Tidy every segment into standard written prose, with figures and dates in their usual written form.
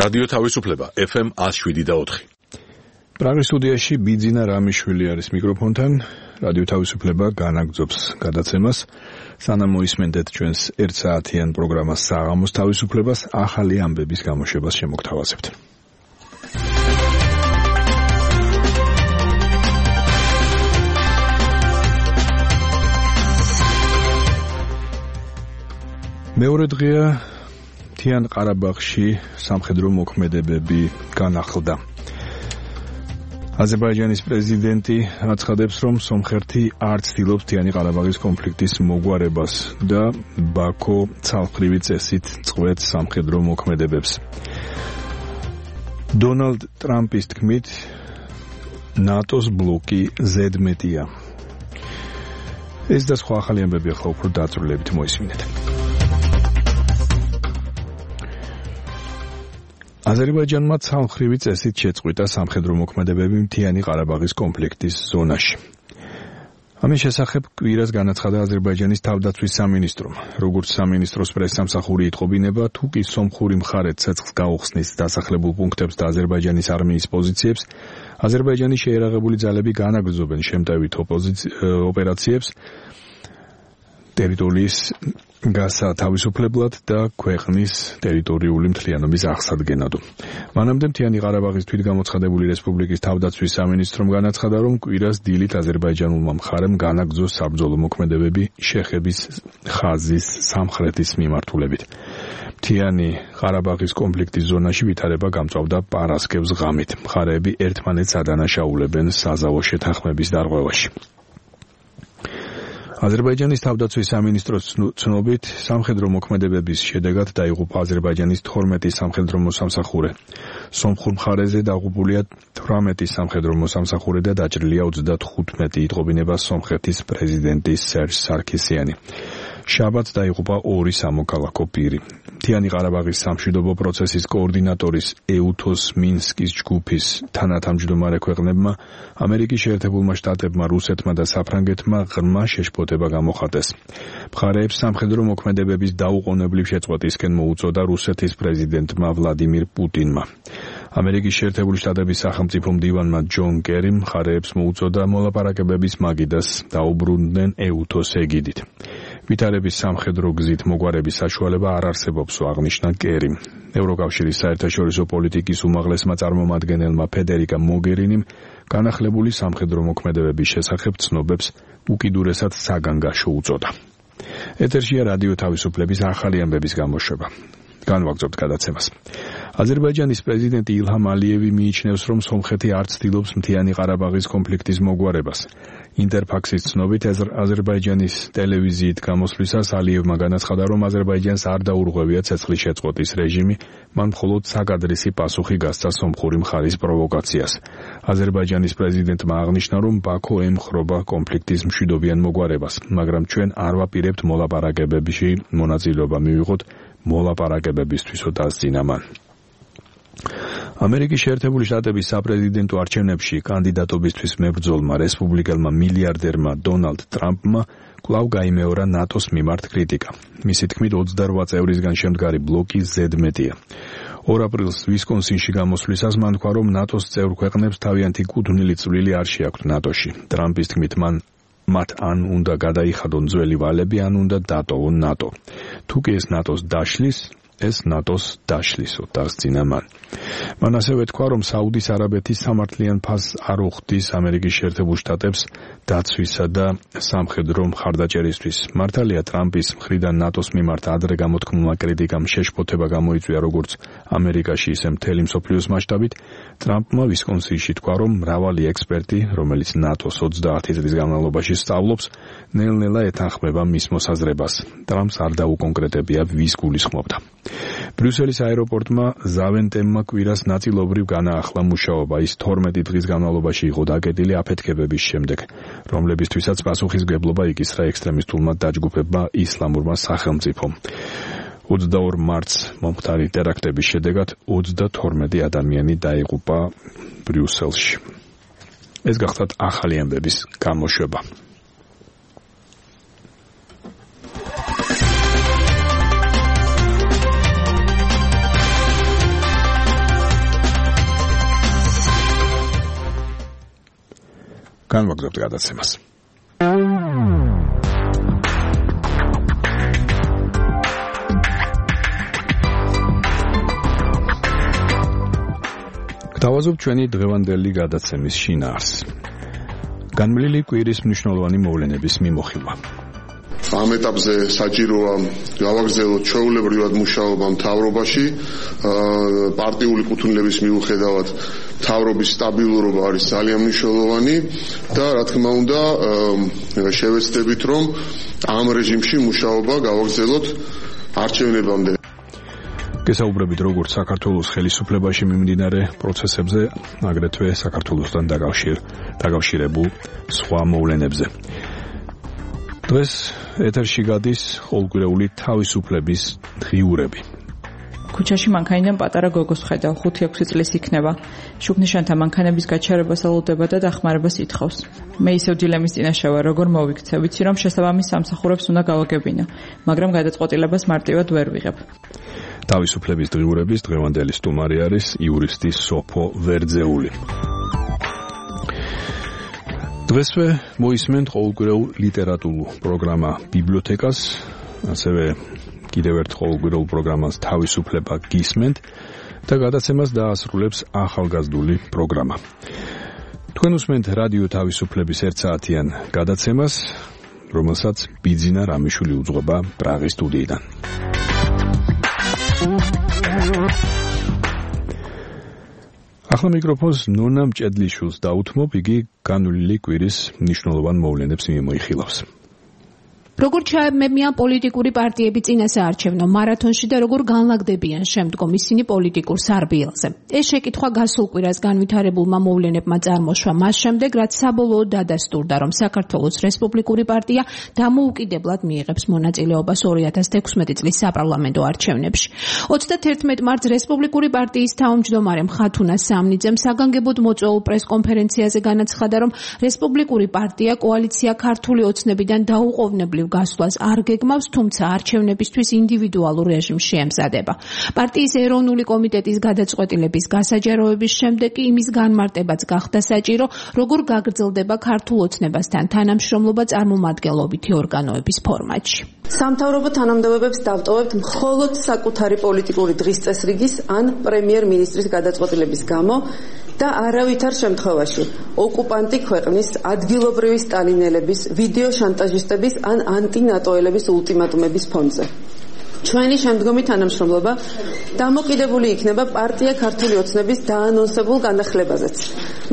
რადიო თავისუფლება FM 107.4. პრაღის სტუდიაში ბიძინა რამიშვილი არის მიკროფონთან. რადიო თავისუფლება განაგრძობს გადაცემას. სანამ მოისმენთ ჩვენს 1 საათიან პროგრამას საღამოს თავისუფლებას, ახალი ამბების გამოშვებას შემოგთავაზებთ. მეორე დღეა მთიან ყარაბაღში სამხედრო მოქმედებები განახლდა. აზერბაიჯანის პრეზიდენტი აცხადებს, რომ სომხეთი არ ცდილობს მთიანი ყარაბაღის კონფლიქტის მოგვარებას და ბაქო ცალკრივი წესით წყვეტს სამხედრო მოქმედებებს. დონალდ ტრამპის თქმით, ნატოს ბლოკი ზედმეტია. ეს და სხვა ახალი ამბები ახლა უფრო დაწვრილებით მოისმინეთ. აზერბაიჯანმა ცალკრივი წესით შეწყვიტა სამხედრო მოქმედებები მთიანი ყარაბაღის კონფლიქტის ზონაში. ამის შესახებ კვირას განაცხადა აზერბაიჯანის თავდაცვის სამინისტრომ. როგორც სამინისტროს პრესსამსახური იტყობინება, თუ კი სომხური მხარე ცეცხლს გაუხსნის დასახლებულ პუნქტებს და აზერბაიჯანის არმიის პოზიციებს, აზერბაიჯანის შეიარაღებული ძალები განაგრძობენ შემტევით ოპერაციებს ტერიტორიის გასათავისუფლებლად და ქვეყნის ტერიტორიული მთლიანობის აღსადგენად. მანამდე მთიანი ყარაბაღის თვითგამოცხადებული რესპუბლიკის თავდაცვის სამინისტრომ განაცხადა, რომ კვირას დილით აზერბაიჯანულმა მხარემ განაგრძო საბრძოლო მოქმედებები შეხების ხაზის სამხრეთის მიმართულებით. მთიანი ყარაბაღის კონფლიქტის ზონაში ვითარება გამწვავდა პარასკევს ღამით. მხარეები ერთმანეთს ადანაშაულებენ საზავო შეთანხმების დარღვევაში. აზერბაიჯანის თავდაცვის სამინისტროს ცნობით, სამხედრო მოქმედებების შედეგად დაიღუპა აზერბაიჯანის 12 სამხედრო მოსამსახურე. სომხურ მხარეზე დაღუპულია 18 სამხედრო მოსამსახურე და დაჭრილია 35, იტყობინება სომხეთის პრეზიდენტი სერჟ სარქისიანი. შაბათს დაიღუპა 2 სამოქალაქო პირი. მთიანი ყარაბაღის სამშვიდობო პროცესის კოორდინატორის ეუთოს მინსკის ჯგუფის თანათავმჯდომარე ქვეყნებმა ამერიკის შეერთებულმა შტატებმა, რუსეთმა და საფრანგეთმა ღრმა შეშფოთება გამოხატეს. მხარეებს სამხედრო მოქმედებების დაუყოვნებლივ შეწყვეტისკენ მოუწოდა რუსეთის პრეზიდენტმა ვლადიმირ პუტინმა. ამერიკის შეერთებული შტატების სახელმწიფო მდივანმა ჯონ კერიმ მხარეებს მოუწოდა მოლაპარაკებების მაგიდას დაუბრუნდნენ ეუთოს ეგიდით. ვითარების სამხედრო გზით მოგვარების საშუალება არ არსებობს, აღნიშნა კერიმ. ევროკავშირის საერთაშორისო პოლიტიკის უმაღლესმა წარმომადგენელმა ფედერიკა მოგერინიმ განახლებული სამხედრო მოქმედებების შესახებ ცნობებს უკიდურესად საგანგაშო უწოდა. ეთერშია რადიო თავისუფლების ახალი ამბების გამოშვება. განვაგრძობთ გადაცემას. აზერბაიჯანის პრეზიდენტი ილჰამ ალიევი მიიჩნევს, რომ სომხეთი არ ცდილობს მთიანი ყარაბაღის კონფლიქტის მოგვარებას. ინტერფაქსის ცნობით, აზერბაიჯანის ტელევიზიით გამოსვლისას ალიევმა განაცხადა, რომ აზერბაიჯანს არ დაურღვევია ცეცხლის შეწყვეტის რეჟიმი, მან მხოლოდ საკადრისი პასუხი გასცა სომხური მხარის პროვოკაციას. აზერბაიჯანის პრეზიდენტმა აღნიშნა, რომ ბაქო ემხრობა კონფლიქტის მშვიდობიან მოგვარებას, მაგრამ ჩვენ არ ვაპირებთ მოლაპარაკებებში მონაწილეობა მივიღოთ მოლაპარაკებებისთვისო დასძინა მან. ამერიკის შეერთებული შტატების საპრეზიდენტო არჩევნებში კანდიდატობისთვის მებრძოლმა რესპუბლიკელმა მილიარდერმა დონალდ ტრამპმა კვლავ გაიმეორა ნატოს მიმართ კრიტიკა. მისი თქმით, 28 წევრისგან შემდგარი ბლოკი ზედმეტია. 2 აპრილს ვისკონსინში გამოსვლისას მან თქვა, რომ ნატოს წევრ ქვეყნებს თავიანთი კუთვნილი წვლილი არ შეაქვთ ნატოში. ტრამპის თქმით, მათ ან უნდა გადაიხადონ ძველი ვალები, ან უნდა დატოვონ ნატო. თუ კი ეს ნატოს დაშლის, ეს ნატოს დაშლისო, დასძინა მან. მან ასევე თქვა, რომ საუდის არაბეთის სამართლიან ფასს არ უხდის ამერიკის შეერთებულ შტატებს დაცვისა და სამხედრო მხარდაჭერისთვის. მართალია, ტრამპის მხრიდან ნატოს მიმართ ადრე გამოთქმულმა კრიტიკამ შეშფოთება გამოიწვია როგორც ამერიკაში, ისე მთელი მსოფლიოს მასშტაბით. ტრამპმა ვისკონსინში თქვა, რომ მრავალი ექსპერტი, რომელიც ნატოს 30 წლის განმავლობაში სწავლობს, ნელ-ნელა ეთანხმება მის მოსაზრებას. ტრამპს არ დაუკონკრეტებია, ვის გულისხმობდა. ბრიუსელის აეროპორტმა ზავენტემმა კვირას ნაწილობრივ განაახლა მუშაობა. ის 12 დღის განმავლობაში იყო დაკეტილი აფეთქებების შემდეგ, რომლებისთვისაც პასუხისმგებლობა იკისრა ექსტრემისტულმა დაჯგუფებმა ისლამურმა სახელმწიფომ. 22 მარტს მომხდარი ტერაქტების შედეგად 32 ადამიანი დაიღუპა ბრიუსელში. ეს გახლავთ ახალი ამბების გამოშვება. განვაგრძობთ გადაცემას. Გთავაზობთ ჩვენი დღევანდელი გადაცემის შინაარსს. განმლილი კვირის მნიშვნელოვანი მოვლენების მიმოხილვა. ამ ეტაპზე საჭიროა გავაგრძელოთ ჩვეულებრივად მუშაობა მთავრობაში, პარტიული კუთვნილების მიუხედავად მთავრობის სტაბილურობა არის ძალიან მნიშვნელოვანი და რა თქმა უნდა შევეცდებით რომ ამ რეჟიმში მუშაობა გავაგრძელოთ არჩევნებამდე. გესაუბრებით როგორც საქართველოს ხელისუფლებაში მიმდინარე პროცესებზე, აგრეთვე საქართველოსთან დაკავშირებულ სხვა მოვლენებზე. დღეს ეთერში გადის ყოველკვირეული თავისუფლების დღიურები. ქუჩაში მანქანიდან პატარა გოგოს ხედავ, 5-6 წლის იქნება. შუქნიშანთა მანქანების გაჩერებას ელოდება და დახმარებას ითხოვს. მე ისევ დილემის წინაშე ვარ, როგორ მოვიქცე, ვიცი რომ შესაბამის სამსახურებს უნდა გავაგებინო, მაგრამ გადაწყვეტილებას მარტივად ვერ ვიღებ. თავისუფლების დღიურების დღევანდელი სტუმარი არის იურისტი სოფო ვერძეული. დღესვე მოისმენთ ყოველკვირეულ ლიტერატურულ პროგრამა ბიბლიოთეკას, ასევე კიდევ ერთ ყოველკვირეულ პროგრამას თავისუფლება გისმენთ და გადაცემას დაასრულებს ახალგაზრდული პროგრამა. თქვენ უსმენთ რადიო თავისუფლების 1 საათიან გადაცემას, რომელსაც ბიძინა რამიშვილი უძღვება პრაღის სტუდიიდან. ახლა მიკროფონს ნონა მჭედლიშვილს დაუთმობ, იგი განვლილი კვირის მნიშვნელოვან მოვლენებს მიმოიხილავს. როგორ ჩაებმებიან პოლიტიკური პარტიები წინასაარჩევნო მარათონში და როგორ განლაგდებიან შემდგომ ისინი პოლიტიკურ სარბიელზე. ეს შეკითხვა გასულ კვირას განვითარებულმა მოვლენებმა წარმოშვა მას შემდეგ, რაც საბოლოოდ დადასტურდა, რომ საქართველოს რესპუბლიკური პარტია დამოუკიდებლად მიიღებს მონაწილეობას 2016 წლის საპარლამენტო არჩევნებში. 31 მარტს რესპუბლიკური პარტიის თავმჯდომარე მხათუნა სამნიძემ საგანგებოდ მოწვეულ პრესკონფერენციაზე განაცხადა, რომ რესპუბლიკური პარტია კოალიცია ქართული ოცნებიდან დაუყოვნებლივ გასვლას არ გეგმავს, თუმცა არჩევნებისთვის ინდივიდუალურ რეჟიმში ემზადება. პარტიის ეროვნული კომიტეტის გადაწყვეტილების გასაჯაროების შემდეგ კი იმის განმარტებაც გახდა საჭირო, როგორ გაგრძელდება ქართულ ოცნებასთან თანამშრომლობა წარმომადგენლობითი ორგანოების ფორმატში. სამთავრობო თანამდებობებს დავტოვებთ მხოლოდ საკუთარი პოლიტიკური დღის წესრიგის ან პრემიერ-მინისტრის გადაწყვეტილების გამო და არავითარ შემთხვევაში ოკუპანტი ქვეყნის ადგილობრივი სტალინელების, ვიდეო შანტაჟისტების ან ანტინატოელების ულტიმატუმების ფონზე. ჩვენი შემდგომი თანამშრომლობა დამოკიდებული იქნება პარტია ქართული ოცნების დაანონსებულ განახლებაზეც,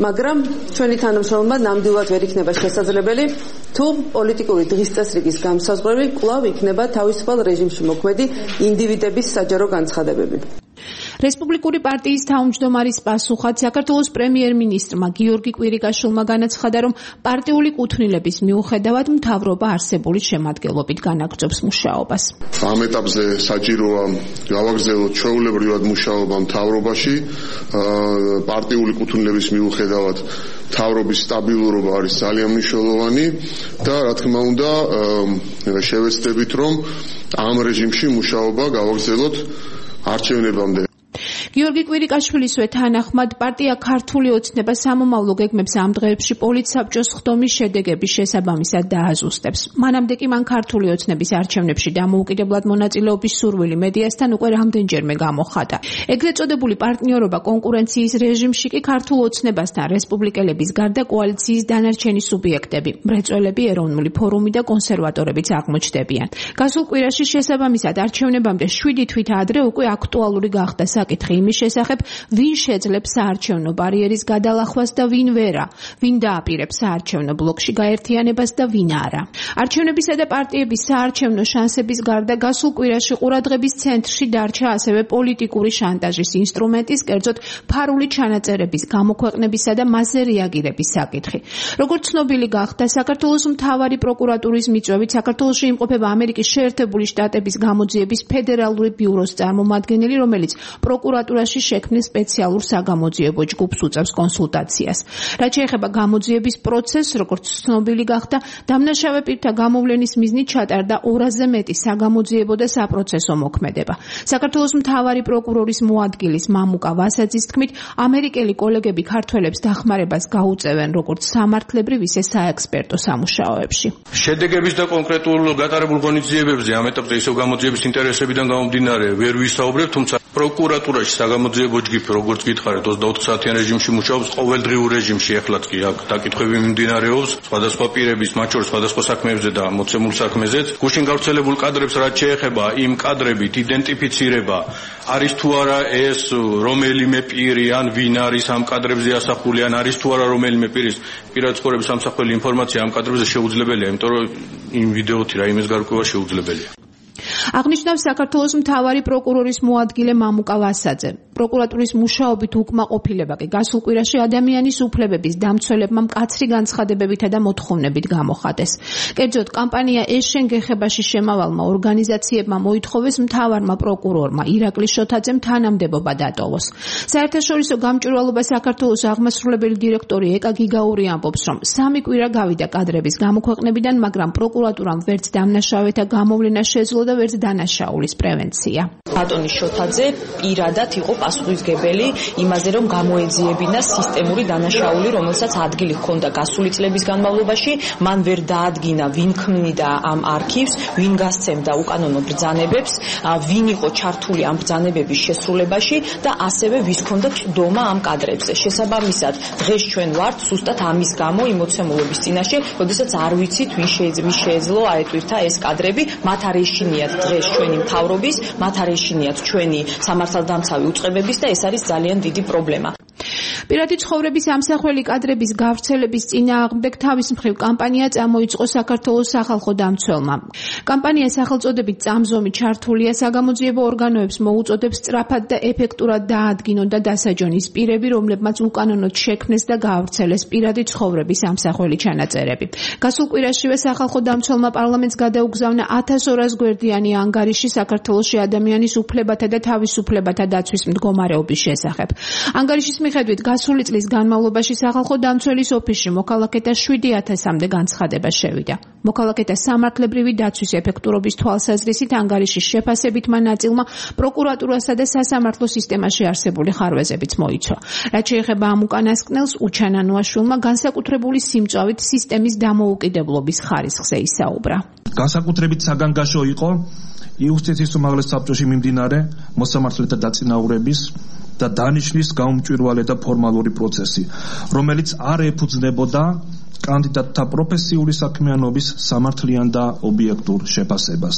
მაგრამ ჩვენი თანამშრომლობა ნამდვილად ვერ იქნება შესაძლებელი, თუ პოლიტიკური დღის წესრიგის განსაზღვრები კვლავ იქნება თავისუფალ რეჟიმში მოქმედი ინდივიდების საჯარო განცხადებები. რესპუბლიკური პარტიის თავმჯდომარის პასუხად საქართველოს პრემიერ-მინისტრმა გიორგი კვირიკაშვილმა განაცხადა, რომ პარტიული კუთვნილების მიუხედავად მთავრობა არსებული შემადგენლობით განაგრძობს მუშაობას. ამ ეტაპზე საჭიროა გავაგრძელოთ ჩვეულებრივად მუშაობა მთავრობაში, პარტიული კუთვნილების მიუხედავად მთავრობის სტაბილურობა არის ძალიან მნიშვნელოვანი და რა თქმა უნდა შევეცდებით რომ ამ რეჟიმში მუშაობა გავაგრძელოთ არჩევნებამდე. გიორგი კვირიკაშვილისვე თანახმად პარტია ქართული ოცნება სამომავლო გეგმებს ამ დღეებში პოლიტსაბჭოს ხდომის შედეგების შესაბამისად დააზუსტებს. მანამდე კი მან ქართული ოცნების არჩევნებში დამოუკიდებლად მონაწილეობის სურვილი მედიასთან უკვე რამდენჯერმე გამოხატა. ეგრეთ წოდებული პარტნიორობა კონკურენციის რეჟიმში კი ქართულ ოცნებასთან რესპუბლიკელების გარდა კოალიციის დანარჩენი სუბიექტები, მრეწველები, ეროვნული ფორუმი და კონსერვატორებიც აღმოჩნდებიან. გასულ კვირაში შესაბამისად არჩევნებამდე 7 თვით ადრე უკვე აქტუალური გახდა საკითხი იმის შესახებ, ვინ შეძლებს საარჩევნო ბარიერის გადალახვას და ვინ ვერა, ვინ დააპირებს საარჩევნო ბლოკში გაერთიანებას და ვინ არა. არჩევნებისა და პარტიების საარჩევნო შანსების გარდა გასულ კვირაში ყურადღების ცენტრში დარჩა ასევე პოლიტიკური შანტაჟის ინსტრუმენტის, კერძოდ ფარული ჩანაწერების გამოქვეყნებისა და მასზე რეაგირების საკითხი. როგორც ცნობილი გახდა, საქართველოს მთავარი პროკურატურის მიწვევით საქართველოში იმყოფება ამერიკის შეერთებული შტატების გამოძიების ფედერალური ბიუროს წარმომადგენელი, რომელიც პროკურატურის პროკურატურაში შექმნილ სპეციალურ საგამოძიებო ჯგუფს უწევს კონსულტაციას. რაც შეეხება გამოძიების პროცესს, როგორც ცნობილი გახდა, დამნაშავე პირთა გამოვლენის მიზნით ჩატარდა 200-ზე მეტი საგამოძიებო და საპროცესო მოქმედება. საქართველოს მთავარი პროკურორის მოადგილის მამუკა ვასაძის თქმით, ამერიკელი კოლეგები ქართველებს დახმარებას გაუწევენ როგორც სამართლებრივ, ისე საექსპერტო სამუშაოებში. შედეგების და კონკრეტულ გატარებულ ღონისძიებებზე ამ ეტაპზე ისევ გამოძიების ინტერესებიდან გამომდინარე ვერ ვისაუბრებ, თუმცა პროკურატურაში საგამოძიებო ჯგუფი, როგორც გითხარით, 24 საათიან რეჟიმში მუშაობს, ყოველდღიურ რეჟიმში, ეხლაც კი აქ დაკითხვები მიმდინარეობს, სხვადასხვა პირების, მათ შორის სხვადასხვა საქმეებზე და მოცემულ საქმეზეც. გუშინ გავრცელებულ კადრებს რაც შეეხება იმ კადრებით იდენტიფიცირება, არის თუ არა ეს რომელიმე პირი ან ვინ არის ამ კადრებზე ასახული, ან არის თუ არა რომელიმე პირის პირადი ცხოვრების სამსახველი ინფორმაცია ამ კადრებზე შეუძლებელია, იმიტომ რომ იმ ვიდეოთი რაიმეს გარკვევა შეუძლებელია. აღნიშნავს საქართველოს მთავარი პროკურორის მოადგილე მამუკა ვასაძე. პროკურატურის მუშაობით უკმაყოფილება კი გასულ კვირაში ადამიანის უფლებების დამცველებმა მკაცრი განცხადებებითა და მოთხოვნებით გამოხატეს. კერძოდ, კამპანია „ეს-შენ გეხებაში“ შემავალმა ორგანიზაციებმა მოითხოვეს მთავარმა პროკურორმა ირაკლი შოთაძემ თანამდებობა დატოვოს. საერთაშორისო გამჭვირვალობა საქართველოს აღმასრულებელი დირექტორი ეკა გიგაური ამბობს, რომ 3 კვირა გავიდა კადრების გამოქვეყნებიდან, მაგრამ პროკურატურამ ვერც დამნაშავეთა გამოვლენა შეძლო და ვერც დანაშაულის პრევენცია. ბატონი შოთაძე პირადად იყო პასუხისმგებელი იმაზე, რომ გამოეძიებინა სისტემური დანაშაული, რომელსაც ადგილი ჰქონდა გასული წლების განმავლობაში, მან ვერ დაადგინა, ვინ ქმნიდა ამ არქივს, ვინ გასცემდა უკანონო ბრძანებებს, ვინ იყო ჩართული ამ ბრძანებების შესრულებაში და ასევე ვის ჰქონდა წვდომა ამ კადრებზე. შესაბამისად, დღეს ჩვენ ვართ ზუსტად ამის გამო იმ მოცემულობის წინაშე, როდესაც არ ვიცით, ვინ შეეძლო აეტვირთა ეს კადრები, მათ არ ეშინიათ დღეს ჩვენი მთავრობის, მათ არ ეშინიათ ჩვენი სამართალდამცავი უწყებების და ეს არის ძალიან დიდი პრობლემა. პირადი ცხოვრების ამსახველი კადრების გავრცელების წინააღმდეგ თავის მხრივ კამპანია წამოიწყო საქართველოს სახალხო დამცველმა. კამპანია სახელწოდებით „წამზომი“ ჩართულია საგამოძიებო ორგანოებს მოუწოდებს სწრაფად და ეფექტურად დაადგინონ და დასაჯონის პირები, რომლებმაც უკანონოდ შექმნეს და გაავრცელეს პირადი ცხოვრების ამსახველი ჩანაწერები. გასულ კვირაშივე სახალხო დამცველმა პარლამენტს გადაუგზავნა 1200 გვერდიანი ანგარიში საქართველოში ადამიანის უფლებათა და თავისუფლებათა დაცვის მდგომარეობის შესახებ. ანგარიშის მიხედვით გასული წლის განმავლობაში სახალხო დამცველის ოფისში მოქალაქეთა 7000-მდე განცხადება შევიდა. მოქალაქეთა სამართლებრივი დაცვის ეფექტურობის თვალსაზრისით ანგარიშის შეფასებითმა ნაწილმა პროკურატურასა და სასამართლო სისტემაში არსებული ხარვეზებიც მოიცვა. რაც შეეხება ამ უკანასკნელს, უჩანანოაშვილმა განსაკუთრებული სიმწვავით სისტემის დამოუკიდებლობის ხარისხზე ისაუბრა. განსაკუთრებით საგანგაშო იყო იუსტიციის უმაღლეს საბჭოში მიმდინარე მოსამართლეთა დაწინაურების და დანიშნის გაუმჭვირვალე და ფორმალური პროცესი, რომელიც არ ეფუძნებოდა კანდიდატთა პროფესიული საქმიანობის სამართლიან და ობიექტურ შეფასებას.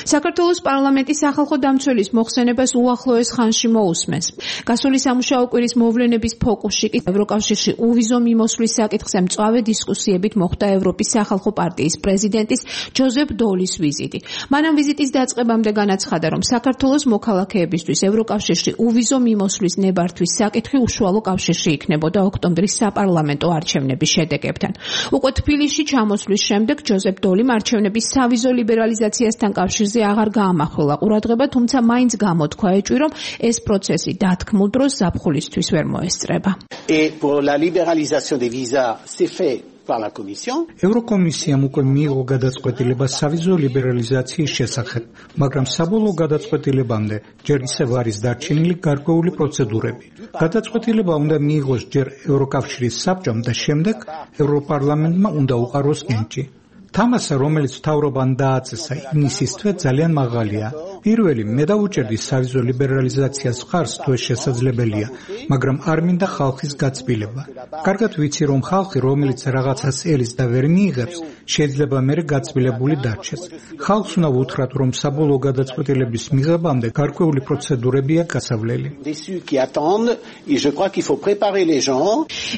საქართველოს პარლამენტის სახალხო დამცველის მოხსენებას უახლოეს ხანში მოусმენს. გასული სამუშაო კვირის მოვლენების ფოკუსში კი ევროკავშირში უვიზო მიმოსვლის საკითხზე მწვავე დისკუსიებით მოხდა ევროპის სახალხო პარტიის პრეზიდენტის ჯოზეფ დოლის ვიზიტი. მანამ ვიზიტის დაწყებამდე განაცხადა, რომ საქართველოს მოქალაქეებისთვის ევროკავშირში უვიზო მიმოსვლის ნებართვის საკითხი უშუალო კავშირში იქნებოდა ოქტომბრის საპარლამენტო არჩევნების შედეგებთან. უკვე თბილისში ჩამოსვლის შემდეგ ჯოზეფ დოლიმ არჩევნების სავიზო ლიბერალიზაციასთან კავშირზე აღარ გაამახვილა ყურადღება, თუმცა მაინც გამოთქვა ეჭვი, რომ ეს პროცესი დათქმულ დროს ზაფხულისთვის ვერ მოესწრება. ევროკომისიამ უკვე მიიღო გადაწყვეტილება სავიზო ლიბერალიზაციის შესახებ, მაგრამ საბოლოო გადაწყვეტილებამდე ჯერ ისევ არის დარჩენილი გარკვეული პროცედურები. გადაწყვეტილება უნდა მიიღოს ჯერ ევროკავშირის საბჭომ და შემდეგ ევროპარლამენტმა უნდა უყაროს ნენჭი. თამასა, რომელიც მთავრობამ დააწესა ივნისის თვე ძალიან მაღალია. პირველი, მე დავუჭერდი სავიზო ლიბერალიზაციას მხარს, თუ ეს შესაძლებელია, მაგრამ არ მინდა ხალხის გაწბილება. კარგად ვიცი, რომ ხალხი, რომელიც რაღაცას ელს და ვერ მიიღებს, შეიძლება მერე გაწბილებული დარჩეს. ხალხს უნდა უთხრათ, რომ საბოლოო გადაწყვეტილების მიღებამდე გარკვეული პროცედურებია გასავლელი.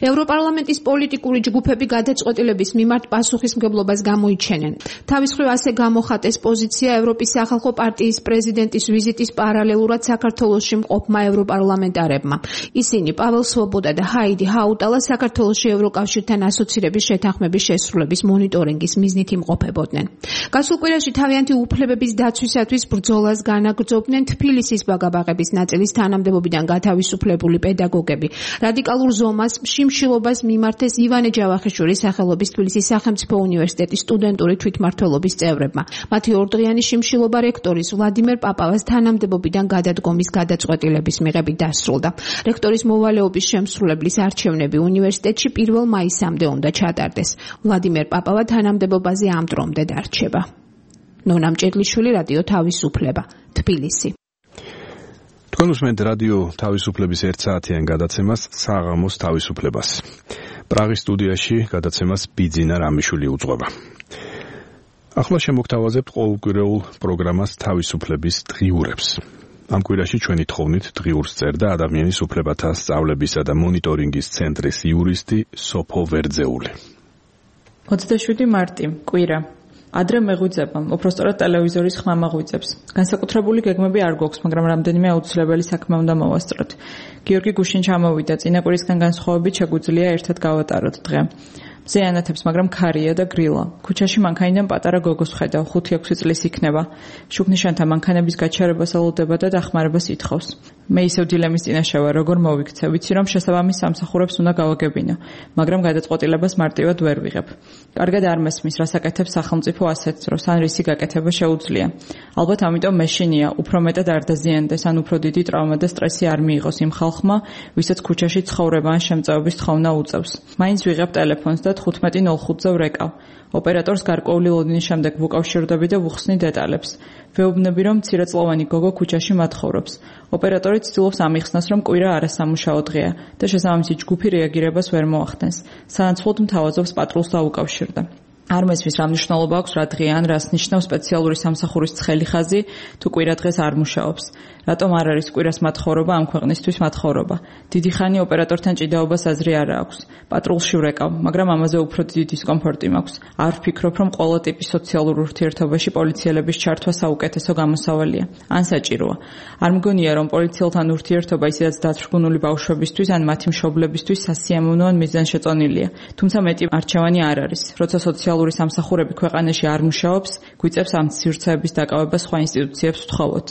ევროპარლამენტის პოლიტიკური ჯგუფები გადაწყვეტილების მიმართ პასუხისმგებლობას გამოიჩენენ. თავის მხრივ ასე გამოხატეს პოზიცია ევროპის სახალხო პარტიის პრეზიდენტის ვიზიტის პარალელურად საქართველოში მყოფმა ევროპარლამენტარებმა. ისინი პაվել სვობოდა და ჰაიდი ჰაუტალა საქართველოში ევროკავშირთან ასოცირების შეთანხმების შესრულების მონიტორინგის მიზნით იმყოფებოდნენ. გასულ კვირაში თავიანთი უფლებების დაცვისათვის ბრძოლას განაგრძობდნენ თბილისის ბაგაბაღების ნაწილის თანამდებობიდან გათავისუფლებული პედაგოგები. რადიკალურ ზომას, შიმშილობას მიმართეს ივანე ჯავახიშვილის სახელობის თბილისის სახელმწიფო უნივერსიტეტის სტუდენტური თვითმმართველობის წევრებმა. მათი ორდღიანი შიმშილობა რექტორის ვლადიმერ პაპავას თანამდებობიდან გადადგომის გადაწყვეტილების მიღებით დასრულდა. რექტორის მოვალეობის შემსრულებლის არჩევნები უნივერსიტეტში 1 მაისამდე უნდა ჩატარდეს. ვლადიმერ პაპავა თანამდებობაზე ამ დრომდე დარჩება. ნონა მჭედლიშვილი, რადიო თავისუფლება, თბილისი. თქვენ უსმენთ რადიო თავისუფლების 1 საათიან გადაცემას საღამოს თავისუფლებას. პრაღის სტუდიაში გადაცემას ბიძინა რამიშვილი უძღვება. ახლა შემოგთავაზებთ ყოველკვირეულ პროგრამას თავისუფლების დღიურებს. ამ კვირაში ჩვენი თხოვნით დღიურს წერდა ადამიანის უფლებათა სწავლებისა და მონიტორინგის ცენტრის იურისტი სოფო ვერძეული. 27 მარტი, კვირა. ადრე მეღვიძება, უпростоრად ტელევიზორის ხმა მაღვიძებს. განსაკუთრებული გეგმები არ გვაქვს, მაგრამ რამდენიმე აუცილებელი საქმე უნდა მოვასწროთ. გიორგი გუშინ ჩამოვიდა, წინა კვირისგან განსხვავებით შეგვიძლია ერთად გავატაროთ დღე. მზე ანათებს, მაგრამ ქარია და გრილა. ქუჩაში მანქანიდან პატარა გოგოს ხედავ, 5-6 წლის იქნება. შუქნიშანთა მანქანების გაჩერებას ელოდება და დახმარებას ითხოვს. მე ისევ დილემის წინაშე ვარ, როგორ მოვიქცე, ვიცი რომ შესაბამის სამსახურებს უნდა გავაგებინო, მაგრამ გადაწყვეტილებას მარტივად ვერ ვიღებ. კარგად არ მესმის, რას აკეთებს სახელმწიფო ასეთს, რომ ან რისი გაკეთება შეუძლია. ალბათ ამიტომ მეშინია, უფრო მეტად არ დაზიანდეს, ან უფრო დიდი ტრავმა და სტრესი არ მიიღოს იმ ხალხმა, ვისაც ქუჩაში ცხოვრება ან შემწეობის თხოვნა უწევს. მაინც ვიღებ ტელეფონს და 15:05-ზე ვრეკავ. ოპერატორს გარკვეული ლოდინის შემდეგ ვუკავშირდები და ვუხსნი დეტალებს. ვეუბნები, რომ მცირეწლოვანი გოგო ქუჩაში მათხოვრობს. ოპერატორი ცდილობს ამიხსნას, რომ კვირა არასამუშაო დღეა და შესაბამისი ჯგუფი რეაგირებას ვერ მოახდენს. სანაცვლოდ მთავაზობს პატრულს დაუკავშირდა. არ მესმის, რა მნიშვნელობა აქვს რა დღე ან რას ნიშნავს სპეციალური სამსახურის ცხელი ხაზი, თუ კვირა დღეს არ მუშაობს. რატომ არ არის კვირას მათხოვრობა ამ ქვეყნისთვის მათხოვრობა? დიდი ხანი ოპერატორთან ჭიდაობას აზრი არ აქვს. პატრულში ვრეკავ, მაგრამ ამაზე უფრო დიდი დისკომფორტი მაქვს. არ ვფიქრობ, რომ ყველა ტიპის სოციალურ ურთიერთობაში პოლიციელების ჩართვა საუკეთესო გამოსავალია. ან საჭიროა. არ მგონია, რომ პოლიციელთან ურთიერთობა ისედაც დათრგუნული ბავშვებისთვის ან მათი მშობლებისთვის სასიამოვნო ან მიზანშეწონილია. თუმცა მეტი არჩევანი არ არის. როცა სოციალური სამსახურები ქვეყანაში არ მუშაობს, გვიწევს ამ სივრცეების დაკავება სხვა ინსტიტუციებს ვთხოვოთ.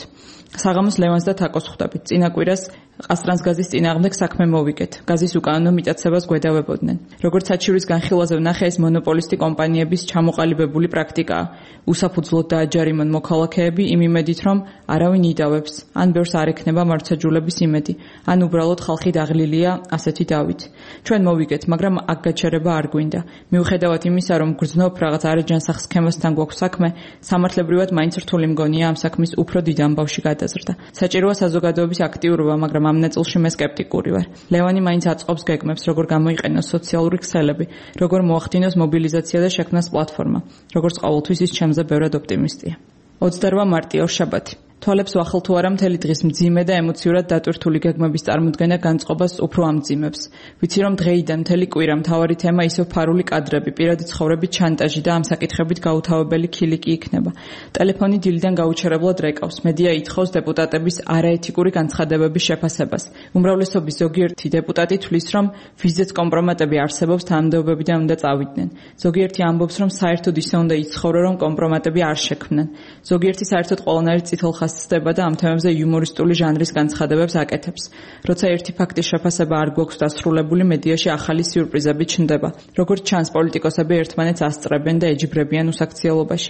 საღამოს ლევანს და თაკოს ხვდებით. წინა კვირას ყასტრანს გაზის წინააღმდეგ საქმე მოვიგეთ. გაზის უკანონო მიტაცებას გვედავებოდნენ. როგორც საჩივრის განხილვაზე ვნახე, ეს მონოპოლისტი კომპანიების ჩამოყალიბებული პრაქტიკაა. უსაფუძვლოდ დააჯარიმონ მოქალაქეები იმ იმედით, რომ არავინ იდავებს, ან ბევრს არ ექნება მარცაჯულების იმედი, ან უბრალოდ ხალხი დაღლილია ასეთი დავით. ჩვენ მოვიგეთ, მაგრამ აქ გაჩერება არ გვინდა. მიუხედავად იმისა, რომ გრძნობ რაღაც არეჯანსახ სქემასთან გვაქვს საქმე, სამართლებრივად მაინც რთული მგონია ამ საქმის უფრო დიდ ამბავში გადაზრდა. საჭიროა საზოგადოების აქტიურობა, მაგრამ ამ ნაწილში მე სკეპტიკური ვარ. ლევანი მაინც აწყობს გეგმებს, როგორ გამოიყენოს სოციალური ქსელები, როგორ მოახდინოს მობილიზაცია და შექმნას პლატფორმა. როგორც ყოველთვის ის ჩემზე ბევრად ოპტიმისტია. 28 მარტი, ორშაბათი. თვალებს ვახელ თუ არა მთელი დღის მძიმე და ემოციურად დატვირთული გეგმების წარმოდგენა განწყობას უფრო ამძიმებს. ვიცი რომ დღეიდან მთელი კვირა მთავარი თემა ისევ ფარული კადრები, პირადი ცხოვრების ჩანტაჟი და ამ საკითხებით გაუთავებელი ქილიკი იქნება. ტელეფონი დილიდან გაუჩერებლად რეკავს. მედია ითხოვს დეპუტატების არაეთიკური განცხადებების შეფასებას. უმრავლესობის ზოგიერთი დეპუტატი თვლის, რომ ვიზეც კომპრომატები არსებობს, თანამდებობებიდან უნდა წავიდნენ. ზოგიერთი ამბობს, რომ საერთოდ ისე უნდა იცხოვრო, რომ კომპრომატები არ შექმნან. ზოგიერთი საერთოდ ყველანაირ წითელ ხასწდება და ამ თემებზე იუმორისტული ჟანრის განცხადებებს აკეთებს. როცა ერთი ფაქტის შეფასება არ გვაქვს დასრულებული, მედიაში ახალი სიურპრიზები ჩნდება. როგორც ჩანს, პოლიტიკოსები ერთმანეთს ასწრებენ და ეჯიბრებიან უსაქციელობაში.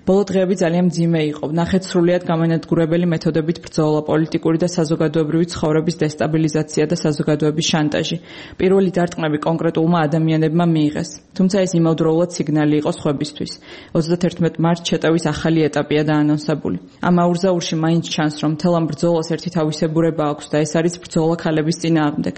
ბოლო დღეები ძალიან მძიმე იყო. ნახეთ სრულიად გამანადგურებელი მეთოდებით ბრძოლა, პოლიტიკური და საზოგადოებრივი ცხოვრების დესტაბილიზაცია და საზოგადოების შანტაჟი. პირველი დარტყმები კონკრეტულმა ადამიანებმა მიიღეს. თუმცა ეს იმავდროულად სიგნალი იყო სხვებისთვის. 31 მარტს შეტევის ახალი ეტაპია დაანონსებული. ამ აურზაურში მაინც ჩანს, რომ მთელ ამ ბრძოლას ერთი თავისებურება აქვს და ეს არის ბრძოლა ქალების წინააღმდეგ.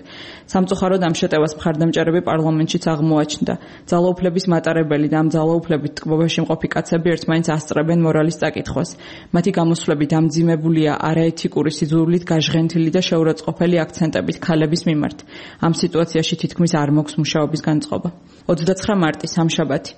სამწუხაროდ ამ შეტევას მხარდამჭერები პარლამენტშიც აღმოაჩნდა. ძალაუფლების მატარებელი და ამ ძალაუფლებით ტკბობაში მყოფი კაცები ერთმანეთს ასწრებენ მორალის წაკითხვას. მათი გამოსვლები დამძიმებულია არაეთიკური სიძულვილით გაჟღენთილი და შეურაცხყოფელი აქცენტებით ქალების მიმართ. ამ სიტუაციაში თითქმის არ მოქვს მუშაობის განწყობა. 29 მარტი, სამშაბათი.